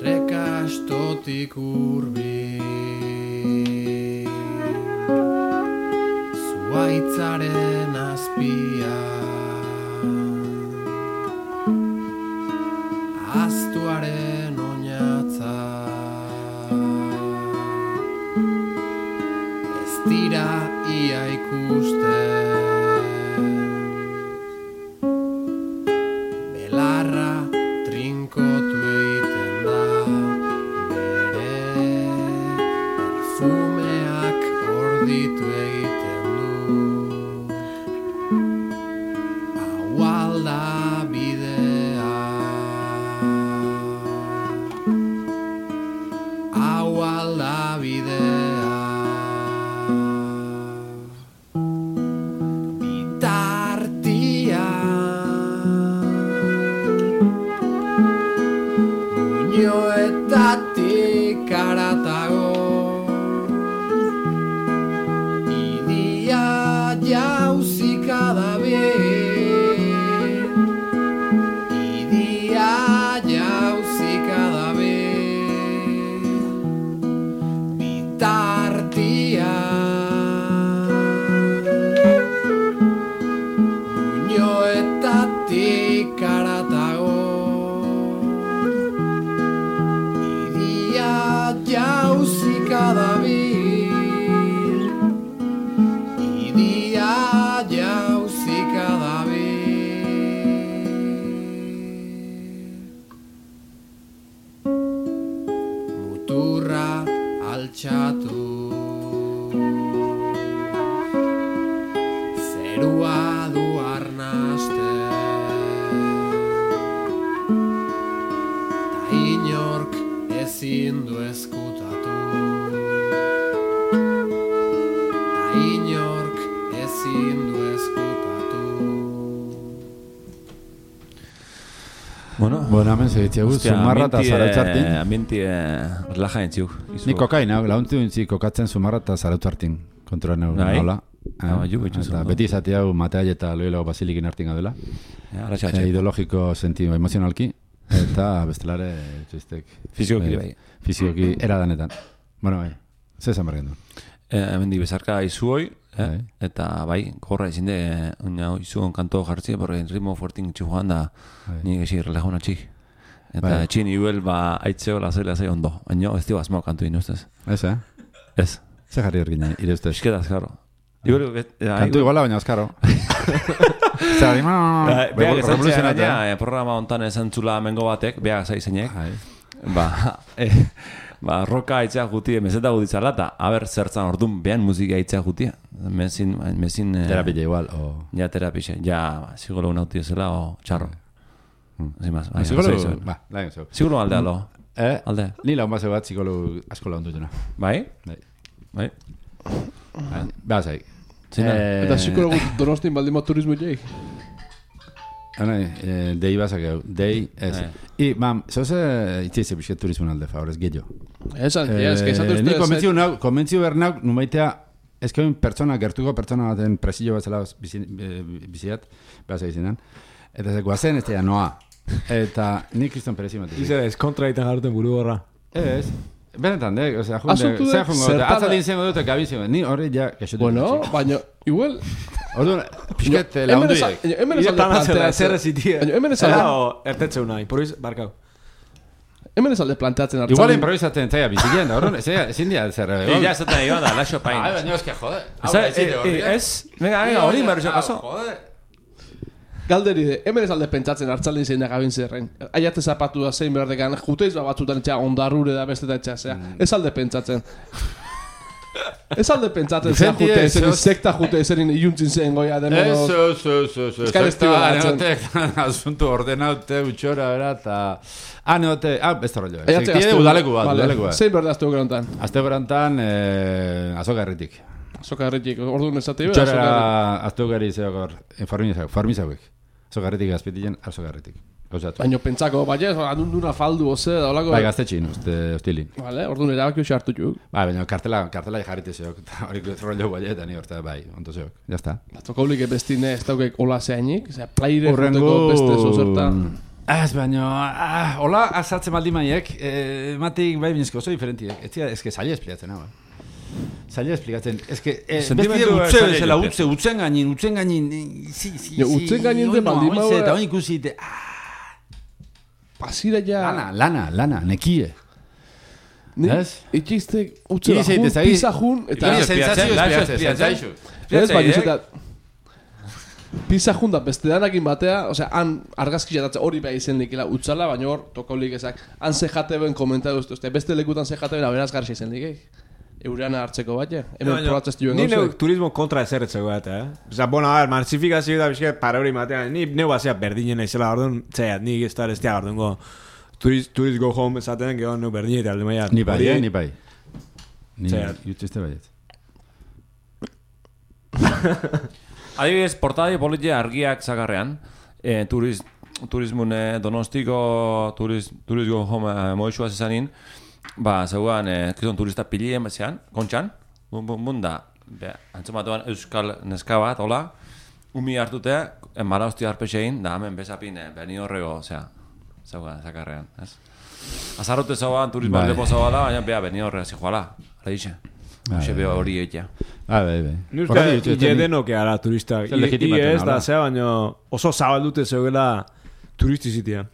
Speaker 5: Errekastotik hurbil zuaitzaren azpian aztuaren oinatza ez dira ia ikusten belarra trinkotu egiten da bere perfumeak orditu egiten du hau alda bidea hau alda bidea Muñoetatik aratago idia jauzika dabil idia jauzika dabil bitartia Muñoetatik aratago jauzika dabil idia jauzika dabil muturra altxatu zerua du arnaste ezin du ezkutatu, ta inork ezin du ezkutatu.
Speaker 2: Bueno, hemen segitziagu, Zumarra eta Zarautzartin.
Speaker 1: Ambienti relaja entziuk.
Speaker 2: Ni kokaina, launtzi duntzi kokatzen Zumarra eta Zarautzartin. Kontrola nola. Eta beti izate hau Mateai eta Loilago Basilikin hartin gadela. Ideologiko sentido emozionalki. Eta bestelare txistek.
Speaker 1: Fizikoki bai.
Speaker 2: Fizikoki eradanetan. Bueno, bai. Zer esan bergen du?
Speaker 1: Hemen di bezarka izuoi. Eta bai, gorra izin de izuon kanto jartzi, porque ritmo fuertin txujoan da nik ezi relajona txik. Eta txin iuel aitzeo lasai ondo. Baina ez dio asmao kantu ino ustez.
Speaker 2: Ez,
Speaker 1: Ez.
Speaker 2: Zer jarri ergina, ire ustez?
Speaker 1: Eskeda azkaro.
Speaker 2: Kantu iguala baina azkaro. Zer,
Speaker 1: beak esan txera, programa ontan esan txula mengo batek, beak zaizenek. Roka aitzea jutie, meseta guditzala, eta haber zertzan ordun behan musika aitzea jutie. Mezin...
Speaker 2: Terapia igual, o...
Speaker 1: Ja, terapia, ja, zigolo unauti ezela, o txarro. Zimaz, zigolo aldea, lo. Alde.
Speaker 2: Ni laun base bat zigolo asko laun dutena.
Speaker 1: Bai? Bai.
Speaker 2: Beha zaik.
Speaker 3: Eta zikologu Donostin baldima turismo jai.
Speaker 2: Dei basak egu, dei ez. I, mam, zoze itzize pixket turismo alde, favorez, gehiago.
Speaker 3: Esan, ez que esatu
Speaker 2: ni konbentziu bernauk, numaitea, ez que pertsona, gertuko pertsona baten presillo bat zela biziat, behaz egizinan. Eta ze guazen ez noa. Eta ni Kriston Perezi matik.
Speaker 4: Izer ez, kontra egiten jarruten buru gorra.
Speaker 2: Ez. Benetan, osea, jungo, atzaldin zengo dute gabizio, ni horri ja gaixotu.
Speaker 3: Bueno, baina, igual...
Speaker 2: Orduan, pixket launduiek.
Speaker 3: Hemen esan de planteatzen. Hemen esan de...
Speaker 4: Ertetzeu nahi, poriz, barkau.
Speaker 3: Hemen esan de planteatzen hartzaldin.
Speaker 2: Igual improvisatzen zaila bizikien, da, orduan, ezin dia zer...
Speaker 1: Ja, esaten nahi da, laxo pain.
Speaker 2: Baina, eske, jode.
Speaker 1: Ez, venga, hori meruzio kaso.
Speaker 3: Galderi de, hemen ez alde pentsatzen hartzaldin zein da gabin zerren. Aiate zapatu da zein berdekan, juteiz batzutan etxea ondarrure da bestetan etxea, zera. Ez alde pentsatzen. Ez alde pentsatzen zera jute, zerin sekta jute, zerin iuntzin zen goia demono.
Speaker 2: Ez neotek asuntu ordenaute utxora, bera, eta... neote, beste rollo. Sektide udaleku bat.
Speaker 3: Zein berde azteko gerontan?
Speaker 2: Azteko gerontan, azoka herritik.
Speaker 3: Azoka herritik, orduan ez zate
Speaker 2: utxora azteko herri zeokor, formizauek. Azoka herritik azpitien, azoka herritik.
Speaker 3: Baina pentsako, baina adunduna faldu, oze, da olako...
Speaker 2: Bai, gaztetxin, hostilin.
Speaker 3: Vale, orduan erabaki hoxe hartu juk.
Speaker 2: Baina kartela jarrite zeok, eta hori rollo bai, eta ni horta, bai, onto zeok, jazta.
Speaker 3: Batzokaulik bestine ez daukek hola zeainik, ozera, plaire juteko beste zozerta.
Speaker 2: Ez, baina, hola azatzen maldi maiek, matik bai binezko oso diferentiek, ez que zaila espliatzen, hau. Zaila esplikatzen, ez que, beste utzen gainin, utzen gainin
Speaker 3: de maldi maua...
Speaker 2: Eta honi ikusi,
Speaker 3: pasira ja...
Speaker 2: Lana, nekie. Ez?
Speaker 3: Itxiztek utzela jun, pisa jun, eta...
Speaker 2: Sensazio
Speaker 3: Ez, baina izatea... Pisa jun da beste danakin batea, osea, han argazki jatatzen hori behar izen likela utzala, baina hor, tokaulik ezak, han zejate ben komentatu ez, beste lekutan zejate ben aberaz garxi izen likek. Eureana hartzeko bat, hemen probatzez duen
Speaker 4: gauzek. Ni neu turismo kontra ezerretzeko bat, Osa, bueno, a ver, marzifikazio da bizke para hori matean, ni neu bazea berdinen naizela, orduan, zera, ni gestar ez tea, orduan go, tourist go home esaten, gero neu berdinen eta alde maia.
Speaker 2: Ni bai. Ni jutziste baiet.
Speaker 1: Adibidez, portadei politia argiak zagarrean, turismune donostiko turismo home moixua zezanin, zeugan, kizon turista pilien batzean, kontxan, da, antzomatuan euskal neska bat, hola, umi hartutea, marauzti harpexein, da hemen bezapin, beni horrego, zeugan, zakarrean, ez? Azarrote zauan, turismo lepo zauala, baina beha, beni horrega zijoala, ala dixe. Hoxe beha hori egitea.
Speaker 2: Bai.
Speaker 4: Nuzka, iedenoke ara turista. Ez da, zea, baina oso zabaldute zeugela turistizitia.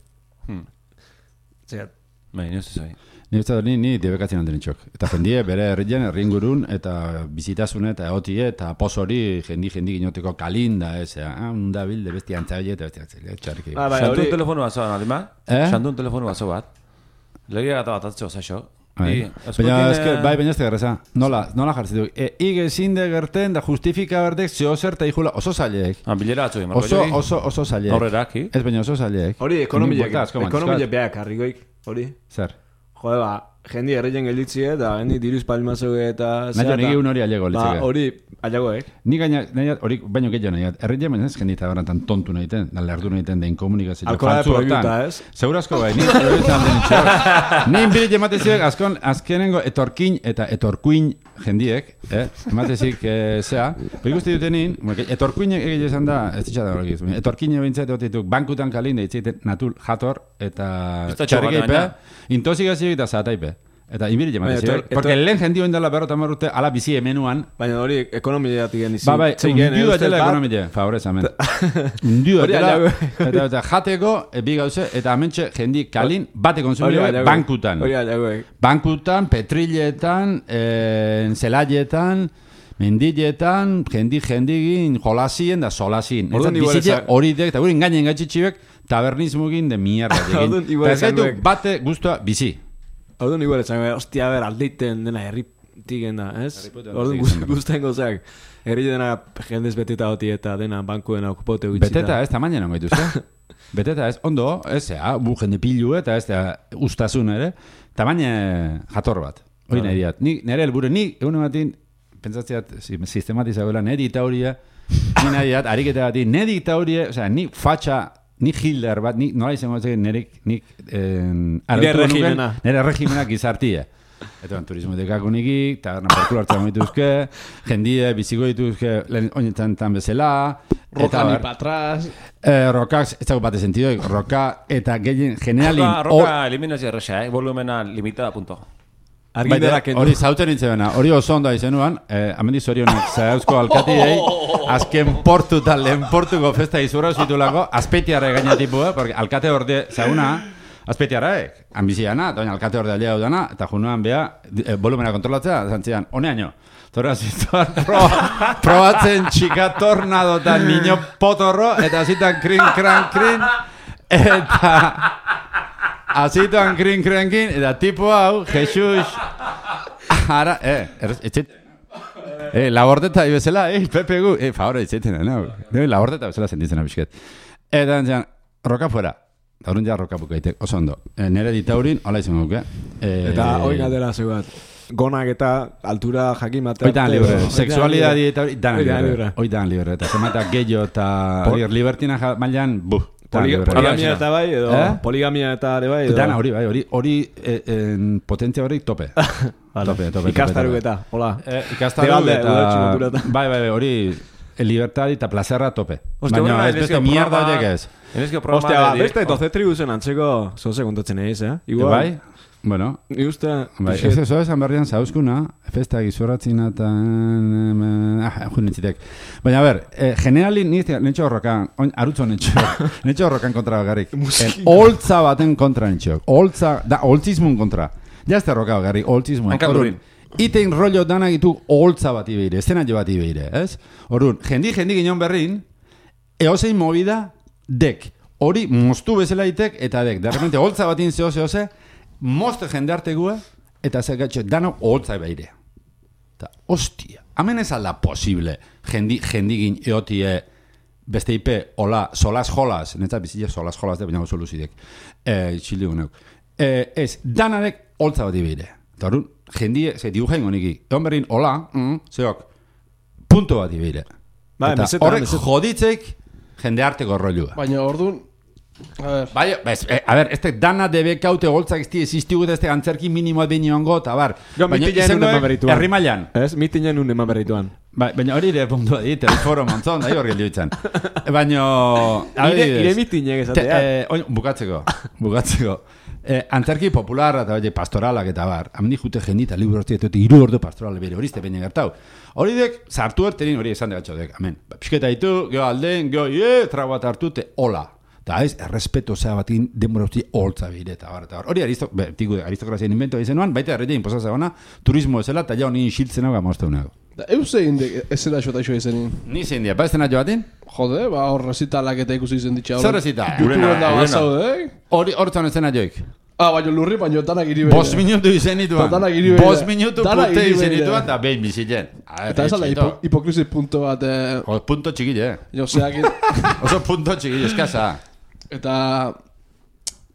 Speaker 1: Zea. Bai, nire zuzai.
Speaker 2: Ni debekatzen handen itxok. Eta jendie bere herrien, herringurun, eta bizitasune, eta egotie, eta posori jendi ginoteko kalinda, da bilde besti antzaile, eta besti antzaile, txarriki.
Speaker 1: Xantun telefonu bat zoan, adima? Xantun telefonu bat zoan bat. Legia gata bat atzio, zaixo. Baina ez tegarreza. Nola jartzen duk. Ige zinde gerten da justifika berdek zeo zer eta ikula oso zaileek. Bilera batzu, Marko Jogi.
Speaker 2: Oso zaileek.
Speaker 1: Horrerak,
Speaker 2: Ez baina oso zaileek.
Speaker 4: Hori, ekonomile beak harrikoik. Hori.
Speaker 2: Zer?
Speaker 4: Jode, jendi erreien gelditzie, eta jendi diruz palmazo eta...
Speaker 2: Nahi nire un hori alego litzeke.
Speaker 4: Hori, alego,
Speaker 2: Ni gaina, hori baino gehiago nahi, erreien baina ez jendita garantan tontu nahi ten, lerdu nahi ten, den komunikazio.
Speaker 4: Alkola de proibiuta, ez?
Speaker 2: Segurazko bai, ni proibiutan den itxo. Ni inbirit emateziek, azkenengo etorkin eta etorkuin jendiek, ematezik zea, ikusti dutenin, etorkuin egile esan da, ez ditxada hori gizu, etorkin ebintzat egotituk, bankutan kalin, da itzaiten natul jator, eta txarrikeipe, intozigazioik eta zataipe. Eta inbiri jematezik, porque lehen jendio indela berrota marrute ala bizi hemenuan.
Speaker 4: Baina hori ekonomiatik genizi.
Speaker 2: Bai, undiu etela ekonomia, favorez, amen. Undiu etela, eta jateko, bi gauze, eta amentxe jendi kalin, bate konsumio bankutan.
Speaker 4: Hori alagoek.
Speaker 2: Bankutan, petriletan, zelaietan, mendiletan, jendigin, jolasien da solasien. Eta bizitze hori dek, eta guri engainen gaitxitxibek, tabernismugin de mierda digin. Eta ez gaitu bate guztua bizi.
Speaker 4: Orduan igual esan, hostia, aldeiten dena herritiken da, ez? Orduan guztien gozak, herri dena jendez beteta hoti eta dena bankuena okupote gutxita.
Speaker 2: Beteta ez, tamaina non gaituzte. Beteta ez, ondo, ez, bu jende pilu eta ez, ustazun ere, tamaina jator bat. Hori nahi diat. Nire helburu, ni egun batin, pentsatzeat, sistematizagoela, ne diktauria, ni nahi diat, ariketa bati, ne diktauria, osea, ni fatxa, ni Hitler bat, nola izango nik nire regimena gizartia. Eta turismo dekako niki, taberna porkula hartzen dituzke, jendie, biziko dituzke, oinetan tan bezala.
Speaker 3: Roka ni patraz.
Speaker 2: Rokak, ez dago bate sentido, roka eta gehien generalin...
Speaker 1: Roka eliminazio erresa, volumena limitada, punto.
Speaker 2: Hori zauten nintzena, hori oso onda izenuan, amendi zorionek zauzko alkatiei, azken portu eta lehen portuko festa izurra zitulako, azpeitiarra gainatipu, porque alkate orde zauna, azpeitiarraek, ambiziana, doina alkate orde alia dudana, eta junuan beha, volumena kontrolatzea, zantzian, honeaino. Torra zituan probatzen txika tornado eta niño potorro, eta zitan krin, eta... Azituan krin-krenkin, eta tipo hau, Jesus... Ara, etxet... Labordeta ibezela, Pepe gu... Favora, etxeten, no? Labordeta ibezela sentitzen abisket. Eta entzian, roka fuera. Horren ja roka bukaitek, oso ondo. Nere ditaurin, hola izan guke.
Speaker 4: Eta hoi galdera zegoat. Gonak eta altura jakin bat...
Speaker 2: Oitan libre. Sexualidadi eta hori, dan libre. Oitan libre. Eta zemata gehiago eta... Libertina mailan, buh.
Speaker 4: Poligamia eta bai, edo poligamia eta ere bai, edo...
Speaker 2: Dana, hori potentzia hori tope. Tope.
Speaker 4: Ikastaruk eta, hola.
Speaker 2: Ikastaruk eta... Bai, hori libertad eta plazerra tope. Baina ez beste mierda horiek ez.
Speaker 4: Ostia, beste 12 tribuzen antzeko zoze kontatzen egez,
Speaker 2: Bai? Bueno,
Speaker 4: eso
Speaker 2: esan berrian zauzkuna, festa gizurratzin eta... Junitzitek. Baina, a ber, generalin, nintxo horrokan, arutzo nintxo horrokan kontra bagarrik. Holtza baten kontra nintxo. Holtzismun kontra. Jazte horroka bagarrik, holtzismun.
Speaker 1: Hankaldurin.
Speaker 2: Itein rollo danak ditu holtza bat ibeire, eszenatio bat ibeire, ez? Horun, jendi ginen berrin, eosein movida, dek. Hori, moztu bezala itek, eta dek. De repente, holtza batin zehose, mozte jende artegua, eta zergatxo, dano holtza beire. Eta, hostia, hemen ez alda posible, jendigin eotie, beste ipe, hola, solas jolas, netzat bizitze solas jolas, de baina soluzidek, txildigunok. Ez, danadek holtza bat beire. Eta horun, jendie, ze dibujain goniki, egon berrin, hola, zeok, punto bat beire. Eta horrek joditzek, jende arteko rollua.
Speaker 3: Baina orduan,
Speaker 2: a ver, este dana debe caute holtzak existigu de este antzerki minimo de niñongo, eta bar.
Speaker 4: Baina mitinen un eman berrituan.
Speaker 2: Herrimailan.
Speaker 4: Ez, mitinen un eman berrituan.
Speaker 2: Baina hori ere puntua dit, el foro montzon, da hori gelditzen. Baina...
Speaker 4: Ire mitinek esatea.
Speaker 2: Bukatzeko. Antzerki popularra eta pastoralak eta bar. Hemen jute jendita liburu horti eta 3 ordu pastorale bere horizte baina gertau. Hori dek, sartu erterin hori esan degatxo dek. Amen. Pisketa ditu, geho alden, geho, trago bat hartute, hola. Eta ez, errespeto zea batin denbora usti holtza bire eta bar. Hori aristokrazian inventoa izenuan, baita erretia inposatzea gana, turismo ezela, eta jau nien xiltzen hau gamozta unago.
Speaker 3: Eusein ezela xota iso izenin?
Speaker 2: Ni zein dia, ba ez dena joatin?
Speaker 3: Jode, ba hor rezitalak eta ikusi izen ditxa.
Speaker 2: Zer rezita?
Speaker 3: YouTubeen da bazaude,
Speaker 2: Hortzan ez dena joik.
Speaker 3: Baina lurri, baina danak iribeira.
Speaker 2: 5 minutu izenituan. 5 minutu pute izenituan, eta behin bizitzen.
Speaker 3: Eta ez ala hipokrisi punto bat...
Speaker 2: Punto txikile,
Speaker 3: Joseak...
Speaker 2: Oso punto txikile, eskasa.
Speaker 3: Eta...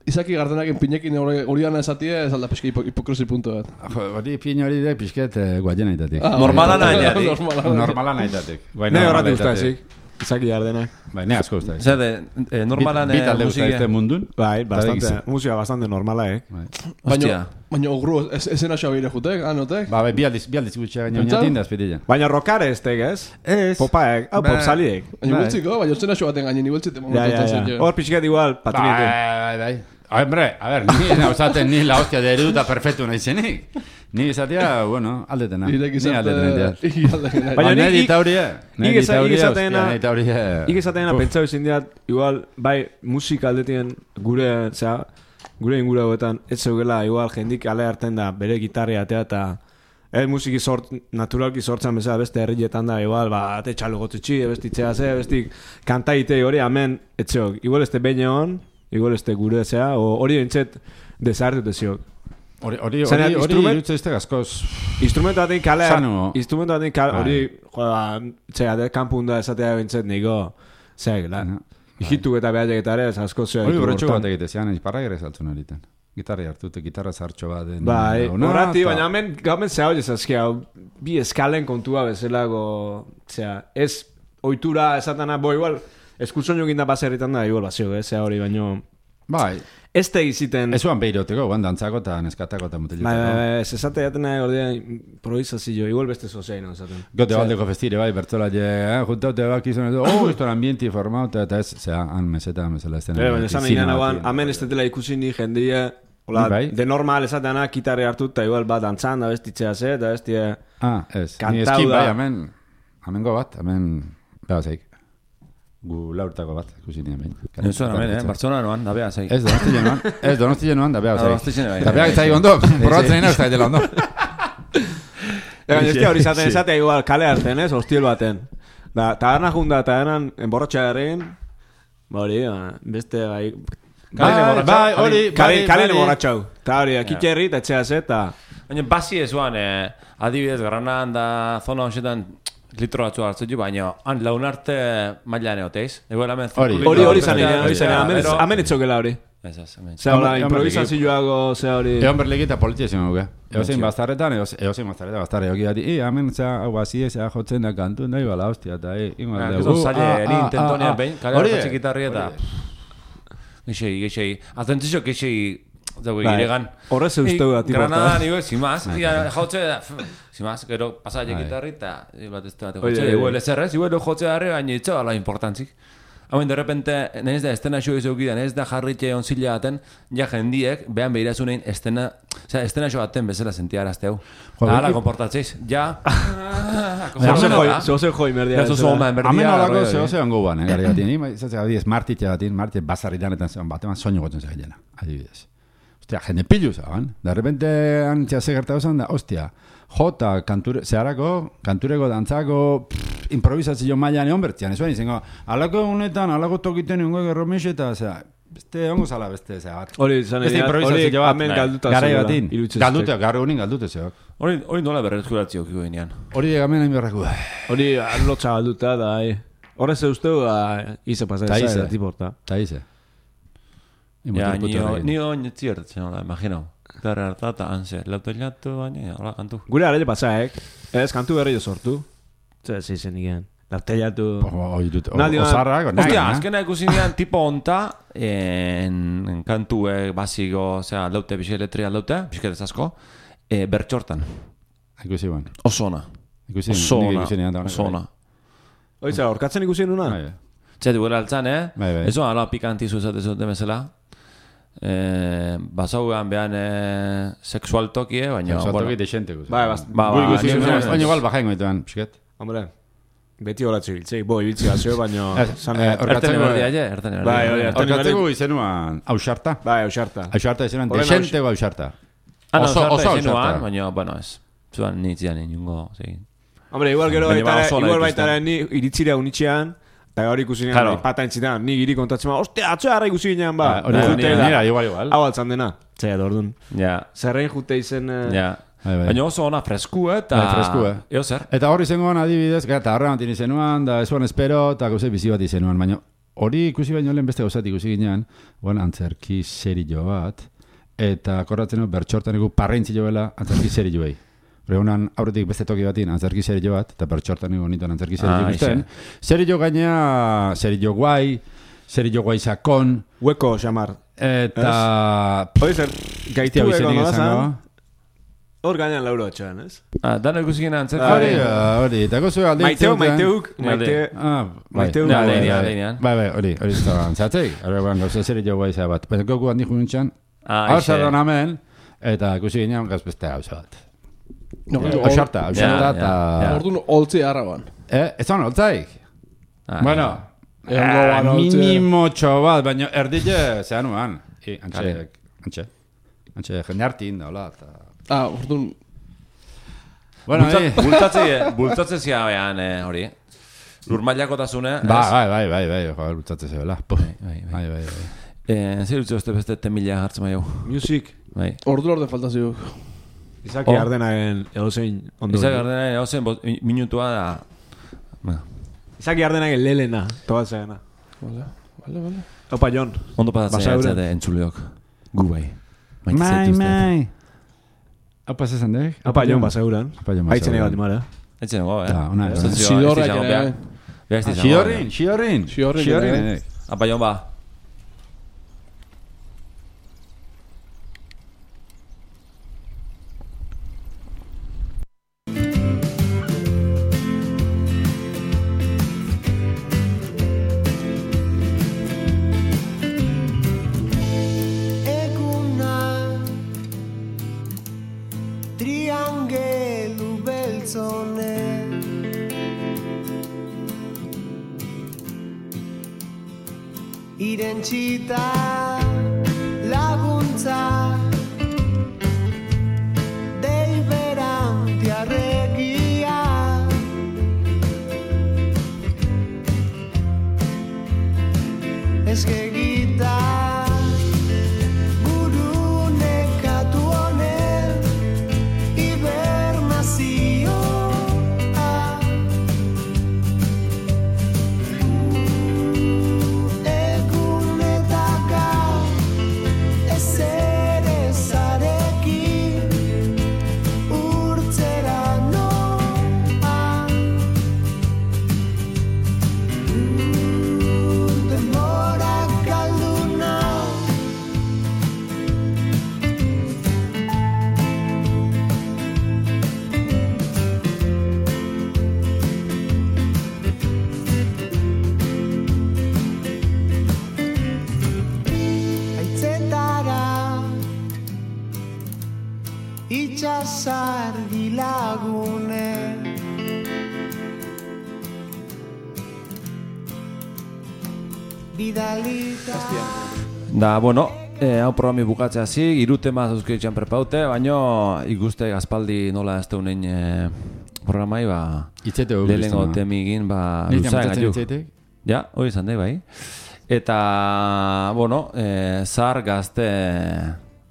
Speaker 3: Izaki Gardenaken pinekin hori gana esatia, ez alda peski hipokrosi puntu bat.
Speaker 2: Hori pin hori da pixket guaien aitatik.
Speaker 1: Normala nahiatik.
Speaker 2: Normala naitatik.
Speaker 4: Ne horratu ustazik. Izaki Gardenak.
Speaker 2: Bai, ne asko ustazik.
Speaker 1: Zer, normalan
Speaker 2: Bi talde ustazte mundun.
Speaker 4: Bai, musika bastante normala,
Speaker 3: Baina ogru, esena xo abire jutek, anotek?
Speaker 2: Bai, bi aldiz gutxea gaina oinatin da azpitila.
Speaker 4: Baina rockare estek, ez? Ez. Popaek, pop saliek.
Speaker 3: Baina gultziko, baina esena xo baten gainen igualtzite momentu.
Speaker 4: Hor pixket igual, patinetu.
Speaker 2: Bai. Hombre, a ver, ni nauzaten ni la hostia de eruta perfecto naizenik. Ni izatea, bueno, aldetena. Ni aldetena.
Speaker 4: Baina
Speaker 2: ni ditauria.
Speaker 4: Nik esatena pentsau izin diat, igual, bai, musika aldetien gure ingura hauetan, ez zeugela, igual, jendik ale hartzen da, bere gitarria atea eta musiki naturalki sortzen bezala beste herrietan da, igual, ate txalo gotzetxi, bestitzea ze, bestik kantaitei hori, amen, etxeok, igual este beine hon, igual este gure zea, hori entzet desartut eziok.
Speaker 2: Hori irutze izte gazkoz
Speaker 4: instrumentu batean kale hori txea, kanpunda esatea bintzet niko zeak, hituk eta behar egitare ez asko zea
Speaker 2: hori borretxo bat egitezean, izparra gire saltzun horiten gitarra hartute, gitarra zartxo bat
Speaker 4: bai, horati, baina gamen zea hori ezazkia bi eskalen kontua bezalago ez oitura esatana, igual eskutzon jokin da baserritan da, igual bazio, zea hori baino
Speaker 2: bai
Speaker 4: ez da iziten...
Speaker 2: Ez oan behiroteko, dantzako eta neskatako eta mutilutako.
Speaker 4: Bai, ez esate jaten nahi ordean improvisazio, igual beste zozein, esaten.
Speaker 2: Gote baldeko festire, bai, bertzola juntaute bak izan, esto ambienti formatu, eta ez, han meseta, mesela estena.
Speaker 4: Baina esan egin hauan, hamen ez tetela ikusi ni jendia, de normal esateana, kitarri hartu, eta igual bat dantzan, da bestitzea ze, eta bestia...
Speaker 2: ez, ni eskin bai, hamen gobat, hamen, behazeik. Gu laurtako bat, ikusi nien behin.
Speaker 1: Nuzuen hemen, Barcelona noan, da beha zei.
Speaker 2: Ez Donosti genuan, da beha zei.
Speaker 1: Da
Speaker 2: beha zai ondo, probatzen ina ez da dela ondo.
Speaker 4: Eta hori zatea igual kale hartzen, ez, hostiel baten. Da, taberna junda, tabernan enborratxa garrin, hori, beste, bai... Kalen enborratxau. Eta hori, kitxerri, eta etxea ze, eta...
Speaker 1: Baina, basi ezuan, adibidez, Granadan da zona hoxetan, litro batzu hartzen du, baina laun arte mailan eoteiz.
Speaker 4: Hori zanean, hamen etxokela hori. Zea hori, improvisazioago, zea hori...
Speaker 2: Egon berlegita politia zen guke. Eozein bastarretan, bastarretan, egoki gati, hamen zea, hau hazi ezea jotzen da kantu, nahi bala, hostia, eta
Speaker 1: ingo dugu. Zaila, eri intentonean behin, kare hartzen gitarri eta... Geixei, atentzio geixei... Giregan
Speaker 4: horrez eusteu da
Speaker 1: Granadan igual, simaz jautze da simaz, gero pasaile gitarri eta bat ez da igual ezerrez, igual jotze darri baina itxo ala importantzik hauen de repente nahiz da estena xo izaukidan nahiz da jarritxe onzila baten ja jendiek behan behirazunein estena xo baten bezala sentiarazte hau ala komportatzeiz ja
Speaker 4: zoze joi merdia
Speaker 2: hamen olako zoze ongo guan gari batien izatzea adibidez martitxe basarritan eta bateman soño gotzen zegilena adibidez hostia, jende pilu zaban. De repente antxea segertatu zan da, hostia, jota, kantureko dantzako, improvisazio mailan egon bertzian, ez baina izango, alako honetan, alako tokiten egon gerromexe eta, osea, beste ongo zala beste, zea bat.
Speaker 4: Hori, hamen galduta
Speaker 2: garai batin, gaur egunin galdute zeok.
Speaker 1: Hori nola berrezkuratzio kiko ginean.
Speaker 2: Hori hemen hain berreku.
Speaker 4: Hori lotxa galduta da, horrez eusteu, ize pasatzen zara, tiporta.
Speaker 2: Ta ize.
Speaker 1: Ja, ni oin ziertatzen, imagino. Gara hartata, anse, lautelatu baina, hola kantu.
Speaker 4: Gure arele pasaek, ez kantu berri jo sortu. Zer zen igen. Lautelatu...
Speaker 2: Osarrak,
Speaker 1: hostia, azkena ikusi nian tipo onta, en kantuek basiko, osea, laute, bixe letria laute, bixe asko, bertxortan.
Speaker 2: Ikusi ban.
Speaker 1: Osona. Osona.
Speaker 4: Oitza, orkatzen ikusi nuna?
Speaker 1: Txetu gure altzan, Eso, ala pikantizu zaten bezala. Basauan behan sexual tokie, baina...
Speaker 2: Sexual toki deixente.
Speaker 1: Baina
Speaker 2: igual bajain goituan, pixket.
Speaker 4: Hombre, beti horatxe biltzei, ibiltzi gazio, baina...
Speaker 2: Orkatzeko izenuan ausarta.
Speaker 4: Ausarta.
Speaker 2: Ausarta izenuan deixente o ausarta.
Speaker 1: Oso ausarta. Baina, bueno, ez. Zuan nintzian inungo, segin.
Speaker 4: Hombre, igual baitara ni iritzira unitxean, eta hori ikusi nian, pata entzitan, ni giri kontatzen ma, ostia, atxo harra ikusi nian, ba.
Speaker 2: Nira, igual.
Speaker 4: Hau altzan dena, txea dordun. Zerrein jute izen...
Speaker 1: Baina oso ona fresku, eta... Eo zer.
Speaker 2: Eta hori zengoan adibidez, eta horrean tini zenuan, da esuan espero, eta gauze bizi bat izenuan, baina hori ikusi baino lehen beste gauzat ikusi ginean, antzerki serio bat, eta akordatzen bertxortaneko parrentzio bela antzerki serio behi. Honan aurretik beste toki batin antzerki serio bat, eta bertxortaneko nituan antzerki serio ikusten. Serio gaina, serio guai sakon.
Speaker 4: Hueko, xamar.
Speaker 2: Eta...
Speaker 4: Hori zer, gaitu egon nolazan, hor gainan lauro atxan, ez?
Speaker 1: Dano ikusi gina antzerki.
Speaker 2: Hori, eta gozu alde...
Speaker 4: Maiteuk.
Speaker 2: Bai, hori antzatzei. Hori egon gauza serio guai za bat. Baina goku handi junintxan, hor zerron amen, eta ikusi ginean gazbeste gauza bat. Oxarta, eta...
Speaker 3: Orduan holtzi harraban.
Speaker 2: Ez zan holtzaik? Bueno, minimo txobat, baina erdile zehan uan. Antxe, jende hartin da, hola.
Speaker 3: Orduan...
Speaker 2: Bueno,
Speaker 1: bultzatze zia behan hori. Lurmailako tasune.
Speaker 2: Bai, bultzatze zebela. Bai.
Speaker 1: Zer dutze beste temila hartzen maio?
Speaker 4: Music.
Speaker 3: Ordu falta ziuk.
Speaker 4: Izaki Ardenagen edozein ondo.
Speaker 1: Izaki Ardenagen edozein minutua da...
Speaker 4: Izaki Ardenagen lelena, tobatzegena.
Speaker 3: Vale.
Speaker 4: Opa, Jon.
Speaker 1: Ondo pasatzea etzate entzuleok. Gu bai.
Speaker 2: Mai. Opa, zezan dek?
Speaker 4: Opa, Jon, baseuran. Haitzen egat imara.
Speaker 1: Haitzen egot,
Speaker 3: Xidorrin.
Speaker 1: Apa, Jon, ba.
Speaker 6: Irentzita laguntza deiberanti arregia eskegita buru nekatu honen hibernazioa itxasargi lagune bidalita
Speaker 1: Da, bueno, hau programi bukatzea zi, 3 tema zauzkeitzen prepaute, baino ikuste gazpaldi nola ez teunein programai, lehenengo temigin, luzaen gaitu. Ja, hori izan dei, bai. Eta, bueno, zar gazte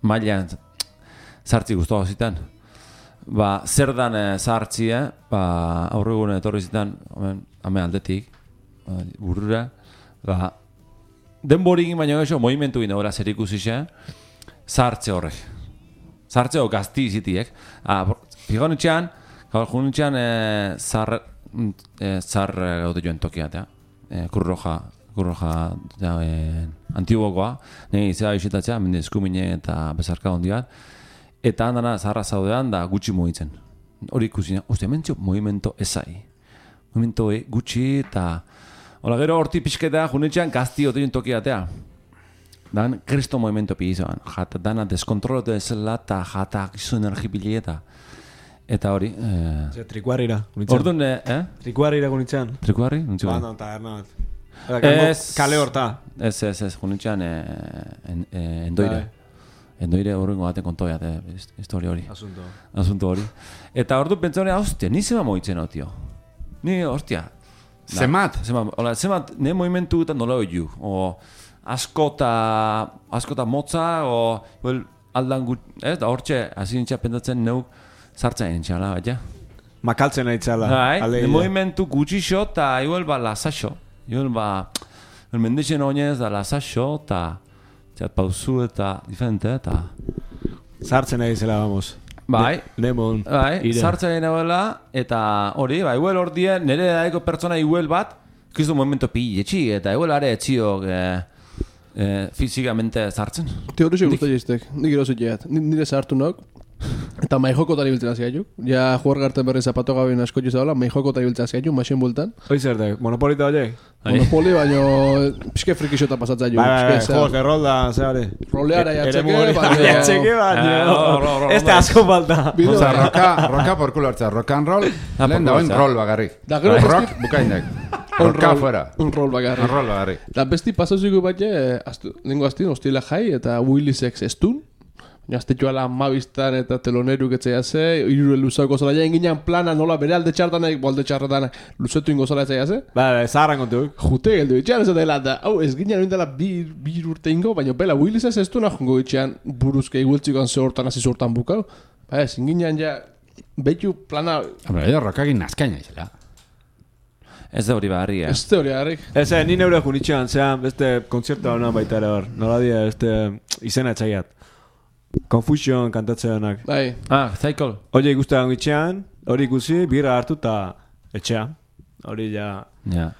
Speaker 1: mailan zartzi guztua zitan. Zer dan zartzie, aurregun etorri zitan, hame aldetik, burrura, denborikin baina eso, movimentu gine ora zer ikusixe, zartze horrek. Zartze hor gazti izitiek. Figonitxean, zar gaude joan tokiatea. Kurroja antiguokoa, nire izea isitatzea, mende eskumine eta bezarka hondiat. Eta handana zarra zaudean da gutxi mugitzen. Hori ikusina, mentxo, movimento ezai. Movimento gutxi eta... Ola gero horti pixketa, junetxean gazti otein tokiatea. Dan, kristo movimento pigizoan. Jata dana deskontrolotu ezela eta jata gizu energipilieta. Eta hori...
Speaker 4: Trikuarrira, gunitzen.
Speaker 1: Orduan,
Speaker 4: Trikuarrira gunitzen.
Speaker 1: Trikuarri?
Speaker 4: Bando, taberna bat. Kale horta.
Speaker 1: Ez, junetxean endoire. Endoire horrengo baten kontoia, historia hori. Asunto hori. Eta ordu pentsa hori, hostia, ni zema moitzen hau, tio. Ni, hostia.
Speaker 2: Zemat?
Speaker 1: Zemat, ne movimentu eta nola hori ju. Askota motza, aldan gut, ez, da hortxe, hasi nintxa pendatzen neuk zartzen nintxala, baina.
Speaker 4: Makaltzen nahi txala.
Speaker 1: Ne movimentu gutxixo eta igual lasaxo. Igual el mendixen oinez da lasaxo, eta txat pauzu eta diferente, eta...
Speaker 4: Sartzen nahi zela, vamos.
Speaker 1: Bai,
Speaker 4: Lemon.
Speaker 1: bai, sartzen nagoela, eta hori, bai, igual hor dien, nire daiko pertsona igual bat, kristo momento pilletxi, eta igual are etxiok fizikamente sartzen.
Speaker 3: Teorizio guztu jiztek, nik erosit jeat. Nire sartu nok, eta maijokotari biltzen hasi gaituk. Ja, jugar garten berri zapato gabin asko jizabela, maijokotari biltzen hasi gaituk, maixen bultan.
Speaker 4: Hoi zer da, monopolita horiek?
Speaker 3: Monopoli, baino pixke frikixota pasatzen jo.
Speaker 4: Bai, juegos de rol da, zeare.
Speaker 3: Roleara jatxeke,
Speaker 4: Jatxeke, baino. Ez da asko falta.
Speaker 2: Oza, roka por culo hartza, rock and roll, lehen dagoen rol bagarrik.
Speaker 3: Da gero
Speaker 2: Rock bukainek. Roka fuera.
Speaker 3: Un rol bagarri.
Speaker 2: Rol bagarrik.
Speaker 3: Da besti pasaziko bat lengo astin, hostila jai, eta Willisex estun. Aztetxoa la mabistan eta teloneruk etzea ze, irure luzako zola jain ginean plana nola bere alde txartanek, bolde txartanek luzetu ingo zola etzea ze.
Speaker 4: Bai, zaharran kontuk.
Speaker 3: Jute geldu itxean ez dela da, hau ez ginean oindela bir urte ingo, baina bela Willisez ez du nahongo itxean buruzke igueltzikoan ze hortan hasi zortan bukau. Ba ez, ginean ja, behitu plana...
Speaker 2: Hombre, edo rockagin nazkaina izela.
Speaker 1: Ez da hori bagarri,
Speaker 3: Ez da hori harrik.
Speaker 4: Ez, ni neure junitxean, zean, beste kontzerta hona baita ere hor. Nola dia, izena etxaiat. Confusion kantatzeanak.
Speaker 3: Bai.
Speaker 1: Cycle.
Speaker 4: Hori ikustean itxean, hori ikusi, birra hartu eta etxea. Hori ja,
Speaker 1: Ja.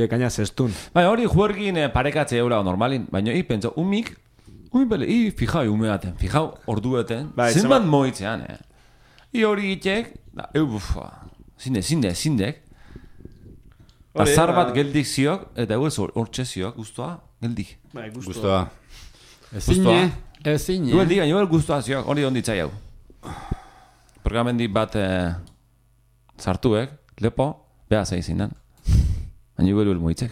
Speaker 4: kaina zestun.
Speaker 1: Bai, hori juergin parekatze eura normalin, baina pentsa, umik bele, fijau ume baten, fijau ordu baten,
Speaker 4: Bai,
Speaker 1: zenbat moitzean, hori itek, zindek, azar bat geldik ziok, eta hortxe ziok, guztua, geldik.
Speaker 4: Bai,
Speaker 2: Guztua.
Speaker 1: Guztua.
Speaker 2: Ezine.
Speaker 1: Igual diga, igual guztua ziok, hori onditzai hau. Programendi bat sartuek, lepo, beha zeizinan. Baina igual moitzek.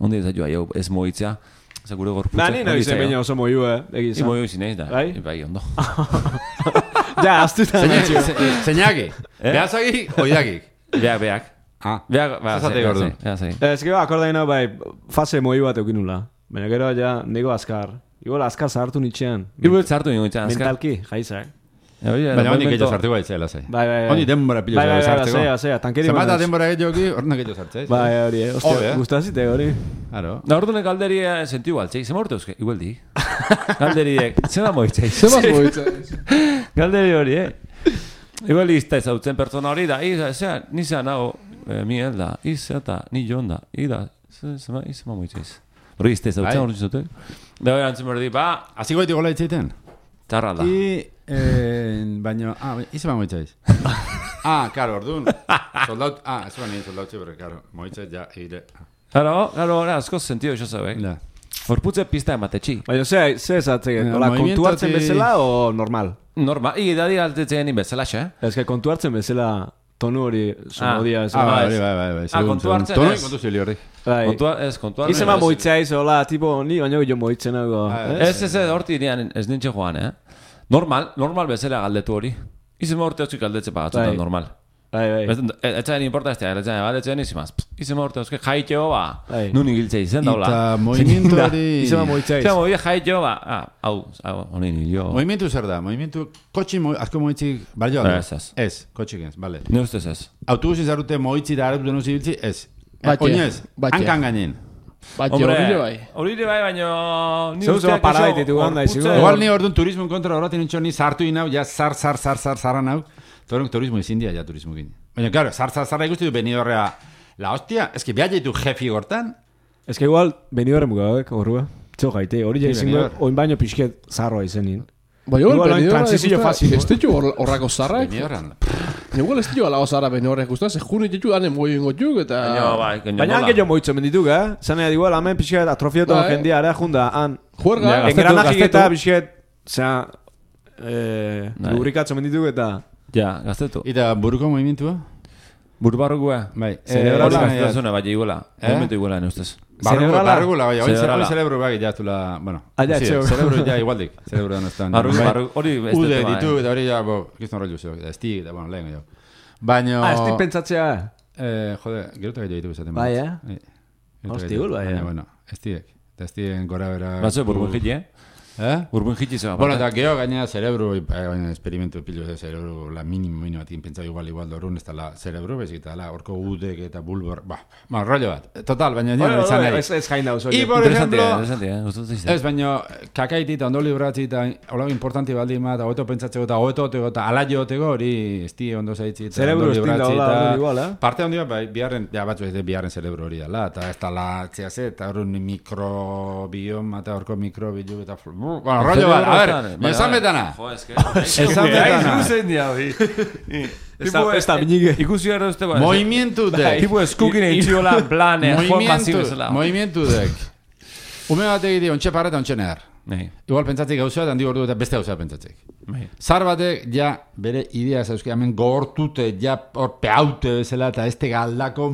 Speaker 1: Ondi ez da hau, ez moitzea. Eza gure gorputzek.
Speaker 4: Ba, ni nahi zen baina oso moiu, egizan.
Speaker 1: Moiu zineiz da.
Speaker 4: Bai?
Speaker 1: Bai, ondo.
Speaker 4: Ja, aztuta.
Speaker 2: Zeinaki. Behazagi, oidakik.
Speaker 1: Beak. Beak,
Speaker 2: Zazate gordu.
Speaker 4: Ez que akordain hau bai, fase moiu bat eukinula. Baina gero ja, nego azkar. Igual azkar zahartu nitxean.
Speaker 1: Igual zartu ningu itxan.
Speaker 4: Mentalki, jaizak.
Speaker 2: Baina honik egin zartu bai zela zei.
Speaker 4: Bai.
Speaker 2: Honi denbora pilo
Speaker 4: Bai,
Speaker 2: zartzeko.
Speaker 4: zea, tankeri
Speaker 2: Zemata denbora egin hornak egin zartzeiz.
Speaker 4: Bai, hori, ostia, gustazite hori.
Speaker 2: Claro.
Speaker 1: Da orduan galderi sentiu altzei, zema urte euske, igual di. Galderiek, zema moitzei.
Speaker 3: Zemaz moitzei.
Speaker 1: Galderi hori, Igual izta ezautzen pertsona hori da, nizan hau, miel da, eta ni jon da, zema moitzeiz. Hori izta ezautzen hori zutek. Da hori antzen berdi,
Speaker 2: Aziko eti gola itzeiten?
Speaker 1: tarra da.
Speaker 2: Baina, izan moitzeiz. Karo, orduan. Soldaut, ez bani soldautxe, pero, karo, moitzeiz ja, eire.
Speaker 1: Claro, asko sentido eso sabek. Horputze pista ematetxi.
Speaker 4: Baina, ze esatzegen, kontu hartzen bezala o normal?
Speaker 1: Normal, idadi altetzen bezala, xe?
Speaker 4: Ez que kontu hartzen bezala tonu hori sonodia.
Speaker 2: Bai.
Speaker 1: Kontu hartzen
Speaker 2: Tonu kontu zili horri.
Speaker 1: Kontu hartzen.
Speaker 4: Izema moitzaiz, hola, tipo, ni baino gillo moitzen nago.
Speaker 1: Ez, horti dian ez nintxe joan, Normal bezala galdetu hori. Izema urte hauzik galdetze pagatzutan normal.
Speaker 4: Bai.
Speaker 1: Etxaen importa ez da, etxaen izimaz. Izema urte hauzik jaitxeo nun igiltzei zen daula.
Speaker 2: Eta moimientu hori...
Speaker 4: Izema moitzaiz.
Speaker 1: Izema moitzaiz jaitxeo hau, honin hilo.
Speaker 2: Moimientu zer da? Moimientu, kotxi asko moitzik, balio da? Ez, kotxik ez, bale.
Speaker 1: Ne ustez ez.
Speaker 2: Autobusi zarute moitzi da aratu denuzi biltzi, ez.
Speaker 3: Oinez,
Speaker 2: hankan gainen.
Speaker 1: Hori bai, baina...
Speaker 4: Zeu paradititu ganda izigu.
Speaker 2: Igual ni orduan turismo kontra horretin nintxo ni sartu inau, ja zarran hau. Torren turismo izin dia, ja turismo gine. Baina, claro, zarra ikusti du Benidorrea. La hostia, es que behar jaitu jefi gortan.
Speaker 4: Ez que igual Benidorren mugabek, horrua. Txo gaite, hori jaizingo, oin baino pixket zarroa izenin.
Speaker 3: Igual
Speaker 4: transizio fácil.
Speaker 3: Ez ditu horrako zarrak.
Speaker 2: Benidorren.
Speaker 3: Igual ez ditu alago zarra Benidorren guztan, ze juni ditu ane moio ingo juk, eta...
Speaker 4: Baina hanke jo moitzo mendituk, Zane, igual, hamen pixket atrofioto jendia, area junda, han...
Speaker 3: Juerga.
Speaker 4: Engranajik eta pixket, zera... Lubrikatzo mendituk eta...
Speaker 1: Ja, gaztetu.
Speaker 2: Eta buruko movimientua?
Speaker 1: Burbarrugua.
Speaker 2: Bai.
Speaker 1: Hori gaztetuzuna, bai, iguala. Momentu iguala, neustez.
Speaker 2: Barrugula, bai. Hori zerebro bai, jatula... Bueno, zerebro ja igualdik. Zerebro da nostan.
Speaker 1: Hori bestetu,
Speaker 2: Ude ditu, eta hori ja, kiston rollu zeo. Eta estig, eta bueno, lehen jo. Baina...
Speaker 4: estig pentsatzea.
Speaker 2: Jode, gerotak ditu izaten.
Speaker 4: Bai, Hostigul, bai.
Speaker 2: Bueno, estigek. Eta estigen gora bera...
Speaker 1: Batzu, burbujit, Urbun jitzizo.
Speaker 2: Bueno, eta geho gaina zerebru, esperimentu pilu de zerebru, la mínimo batin pentsau igual dorun, ez da la zerebru, bezik, eta la orko udek eta bulbor, rollo bat. Total, baina nire izan nahi.
Speaker 4: Ez jain dauz,
Speaker 2: Y por ejemplo,
Speaker 1: Interesante.
Speaker 2: ez, baina kakaiti eta ondo libratzi eta hola importanti baldin bat, hobeto pentsatzeko eta hobeto oteko eta ala joteko hori esti ondo zaitzi.
Speaker 4: Zerebru estin da hola igual,
Speaker 2: parte handia, biharren, batzu ez biharren zerebru hori dala, eta ez da la, txeaze, eta horren mikrobioma eta horko mikrobilu eta... Bueno, rollo bat, a ver, esan betana.
Speaker 1: Jo, eske.
Speaker 2: Esan betana.
Speaker 1: Zuzen dia, hori.
Speaker 4: Esta biñique.
Speaker 1: Ikusi gara uste ba.
Speaker 2: Movimientu dek.
Speaker 1: Tipo eskukin eitxiola, plan, joan pasibezela.
Speaker 2: Movimientu dek. Ume bat egite, ontxe parra eta ontxe nehar.
Speaker 1: Nei.
Speaker 2: Igual pentsatzik gauzea, handi gordu eta beste gauzea pentsatzik.
Speaker 1: Nei.
Speaker 2: Zar batek, ja, bere idea zauzki, hemen gogortute, ja, hor peaute bezala, eta ez galdako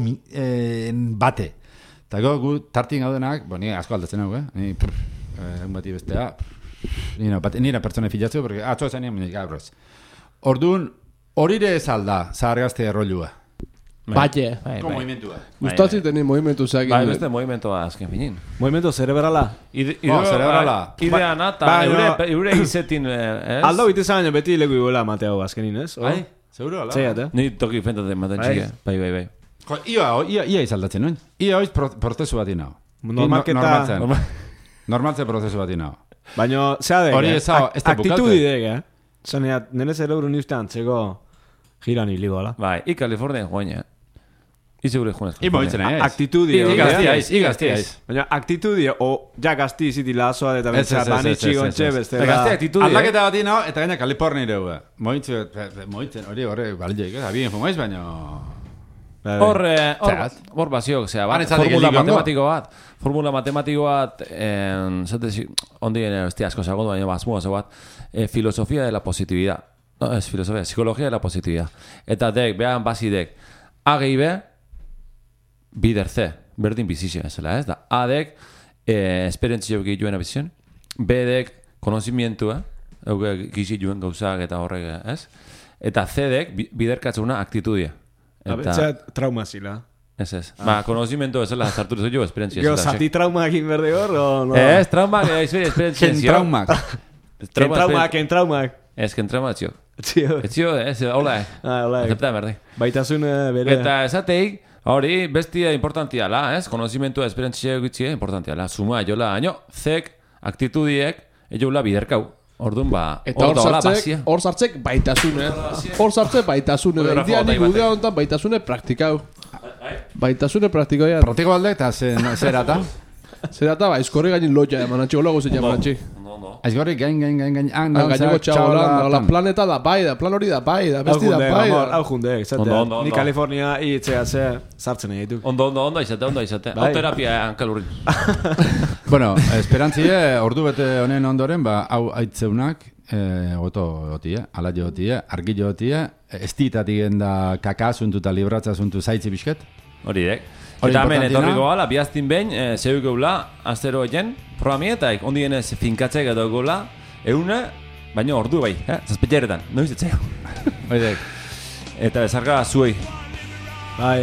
Speaker 2: bate. Eta gu, tartin gaudenak, ni asko aldatzen hau, ni, bati bestea, nire pertsone filatzeu, porque atzo esan nien, gaur ez. Orduan, horire ez alda, zahargazte errollua.
Speaker 3: Baie.
Speaker 2: Ko movimentua.
Speaker 3: Gustatzen teni movimentu zeak.
Speaker 1: Bai, beste movimentoa azken finin.
Speaker 4: Movimiento cerebrala.
Speaker 2: Cerebrala.
Speaker 1: Ideana, eta eure izetin, ez?
Speaker 4: Aldo bite zaino beti leku iguela Mateo azkenin, ez?
Speaker 2: Bai, seguro, ala?
Speaker 4: Zeiat,
Speaker 1: Ni toki fentaten maten txike. Bai.
Speaker 2: Ia izaldatzen, noin? Ia hoiz prozesu bat inau.
Speaker 4: Normalketa...
Speaker 2: Normaltze prozesu bat inau.
Speaker 4: Baina, zea dek,
Speaker 2: hori ez da
Speaker 4: aktitudi dek, Zaneat, nire zerebru niztean txeko giran hili gola.
Speaker 1: Bai, i Kalifornien joaina. I segure joan ez.
Speaker 2: I moitzen ez.
Speaker 4: Aktitudi.
Speaker 2: I gaztiaiz.
Speaker 4: Baina, aktitudi, o ja gazti iziti lazoa, eta bentzea banitxi gontxe, bestela.
Speaker 1: Gazti aktitudi,
Speaker 2: aldaketa bat inau, eta gaina Kalifornia ireue. Moitzen, hori barrilloik, abien fumaiz, baina...
Speaker 1: Hor baziok, zera, formula matematiko bat, ondien asko zagondo, baina bazmua zagoat, filosofia de la positividad. No, es filosofia, psicología de la positividad. Eta dek, behan bazidek, A gehi B, bider C, berdin bizizia ezela, ez da. A dek, esperientzio gehioen abizion, B dek, konozimientua, gizi joen gauzak eta horrek, ez? Eta C dek, biderkatzuna aktitudia.
Speaker 4: Eta trauma zila.
Speaker 1: Ez. Konozimiento ezela zarturu zoi jo, esperientzia.
Speaker 4: Gero, zati trauma egin berde hor, o no?
Speaker 1: Ez, trauma, esperientzia.
Speaker 2: Ken traumak.
Speaker 4: Ken traumak.
Speaker 1: Ez, ken trauma etzio.
Speaker 4: Etzio,
Speaker 1: hola.
Speaker 4: Hola.
Speaker 1: Acepta, berdi.
Speaker 4: Baitasun bere.
Speaker 1: Eta esateik, hori, bestia importantiala, ez? Konozimientua, esperientzia egitzia importantiala. Suma, jola, aino, zek, aktitudiek, ejola biderkau. Orduan,
Speaker 3: eta hor sartzek baitasune. Hor sartzek baitasune. Indian igudea honetan baitasune praktikau. Baitasune praktikau.
Speaker 2: Protiko balde eta zerata?
Speaker 3: Zerata, eskorri gainin loja eman antxiko logo zen jaman antxik.
Speaker 2: Aizgorri gain.
Speaker 3: Gaineko txabolan, planeta da bai, da plan hori da bai, da besti da bai.
Speaker 4: Hau junde, izatea. Ni Kalifornia itzea sartzen egin ditu.
Speaker 1: Ondo izate. Hau terapia hankalurrin.
Speaker 2: Bueno, esperantzie, ordu bete honen ondoren, hau aitzeunak, goto gotie, ala jotie, argi jotie, estitatik enda kakazuntu eta libratzasuntu zaitzi bisket.
Speaker 1: Hori dek. Eta hemen etorriko gala, bihaztin behin, zeuk eula, aztero egin, programietak, ondienez finkatzek edo gola, eune, baina ordu bai, zazpetxeretan, noiz etzeo.
Speaker 2: Hori dek.
Speaker 1: Eta bezarka zuei.
Speaker 4: Bai,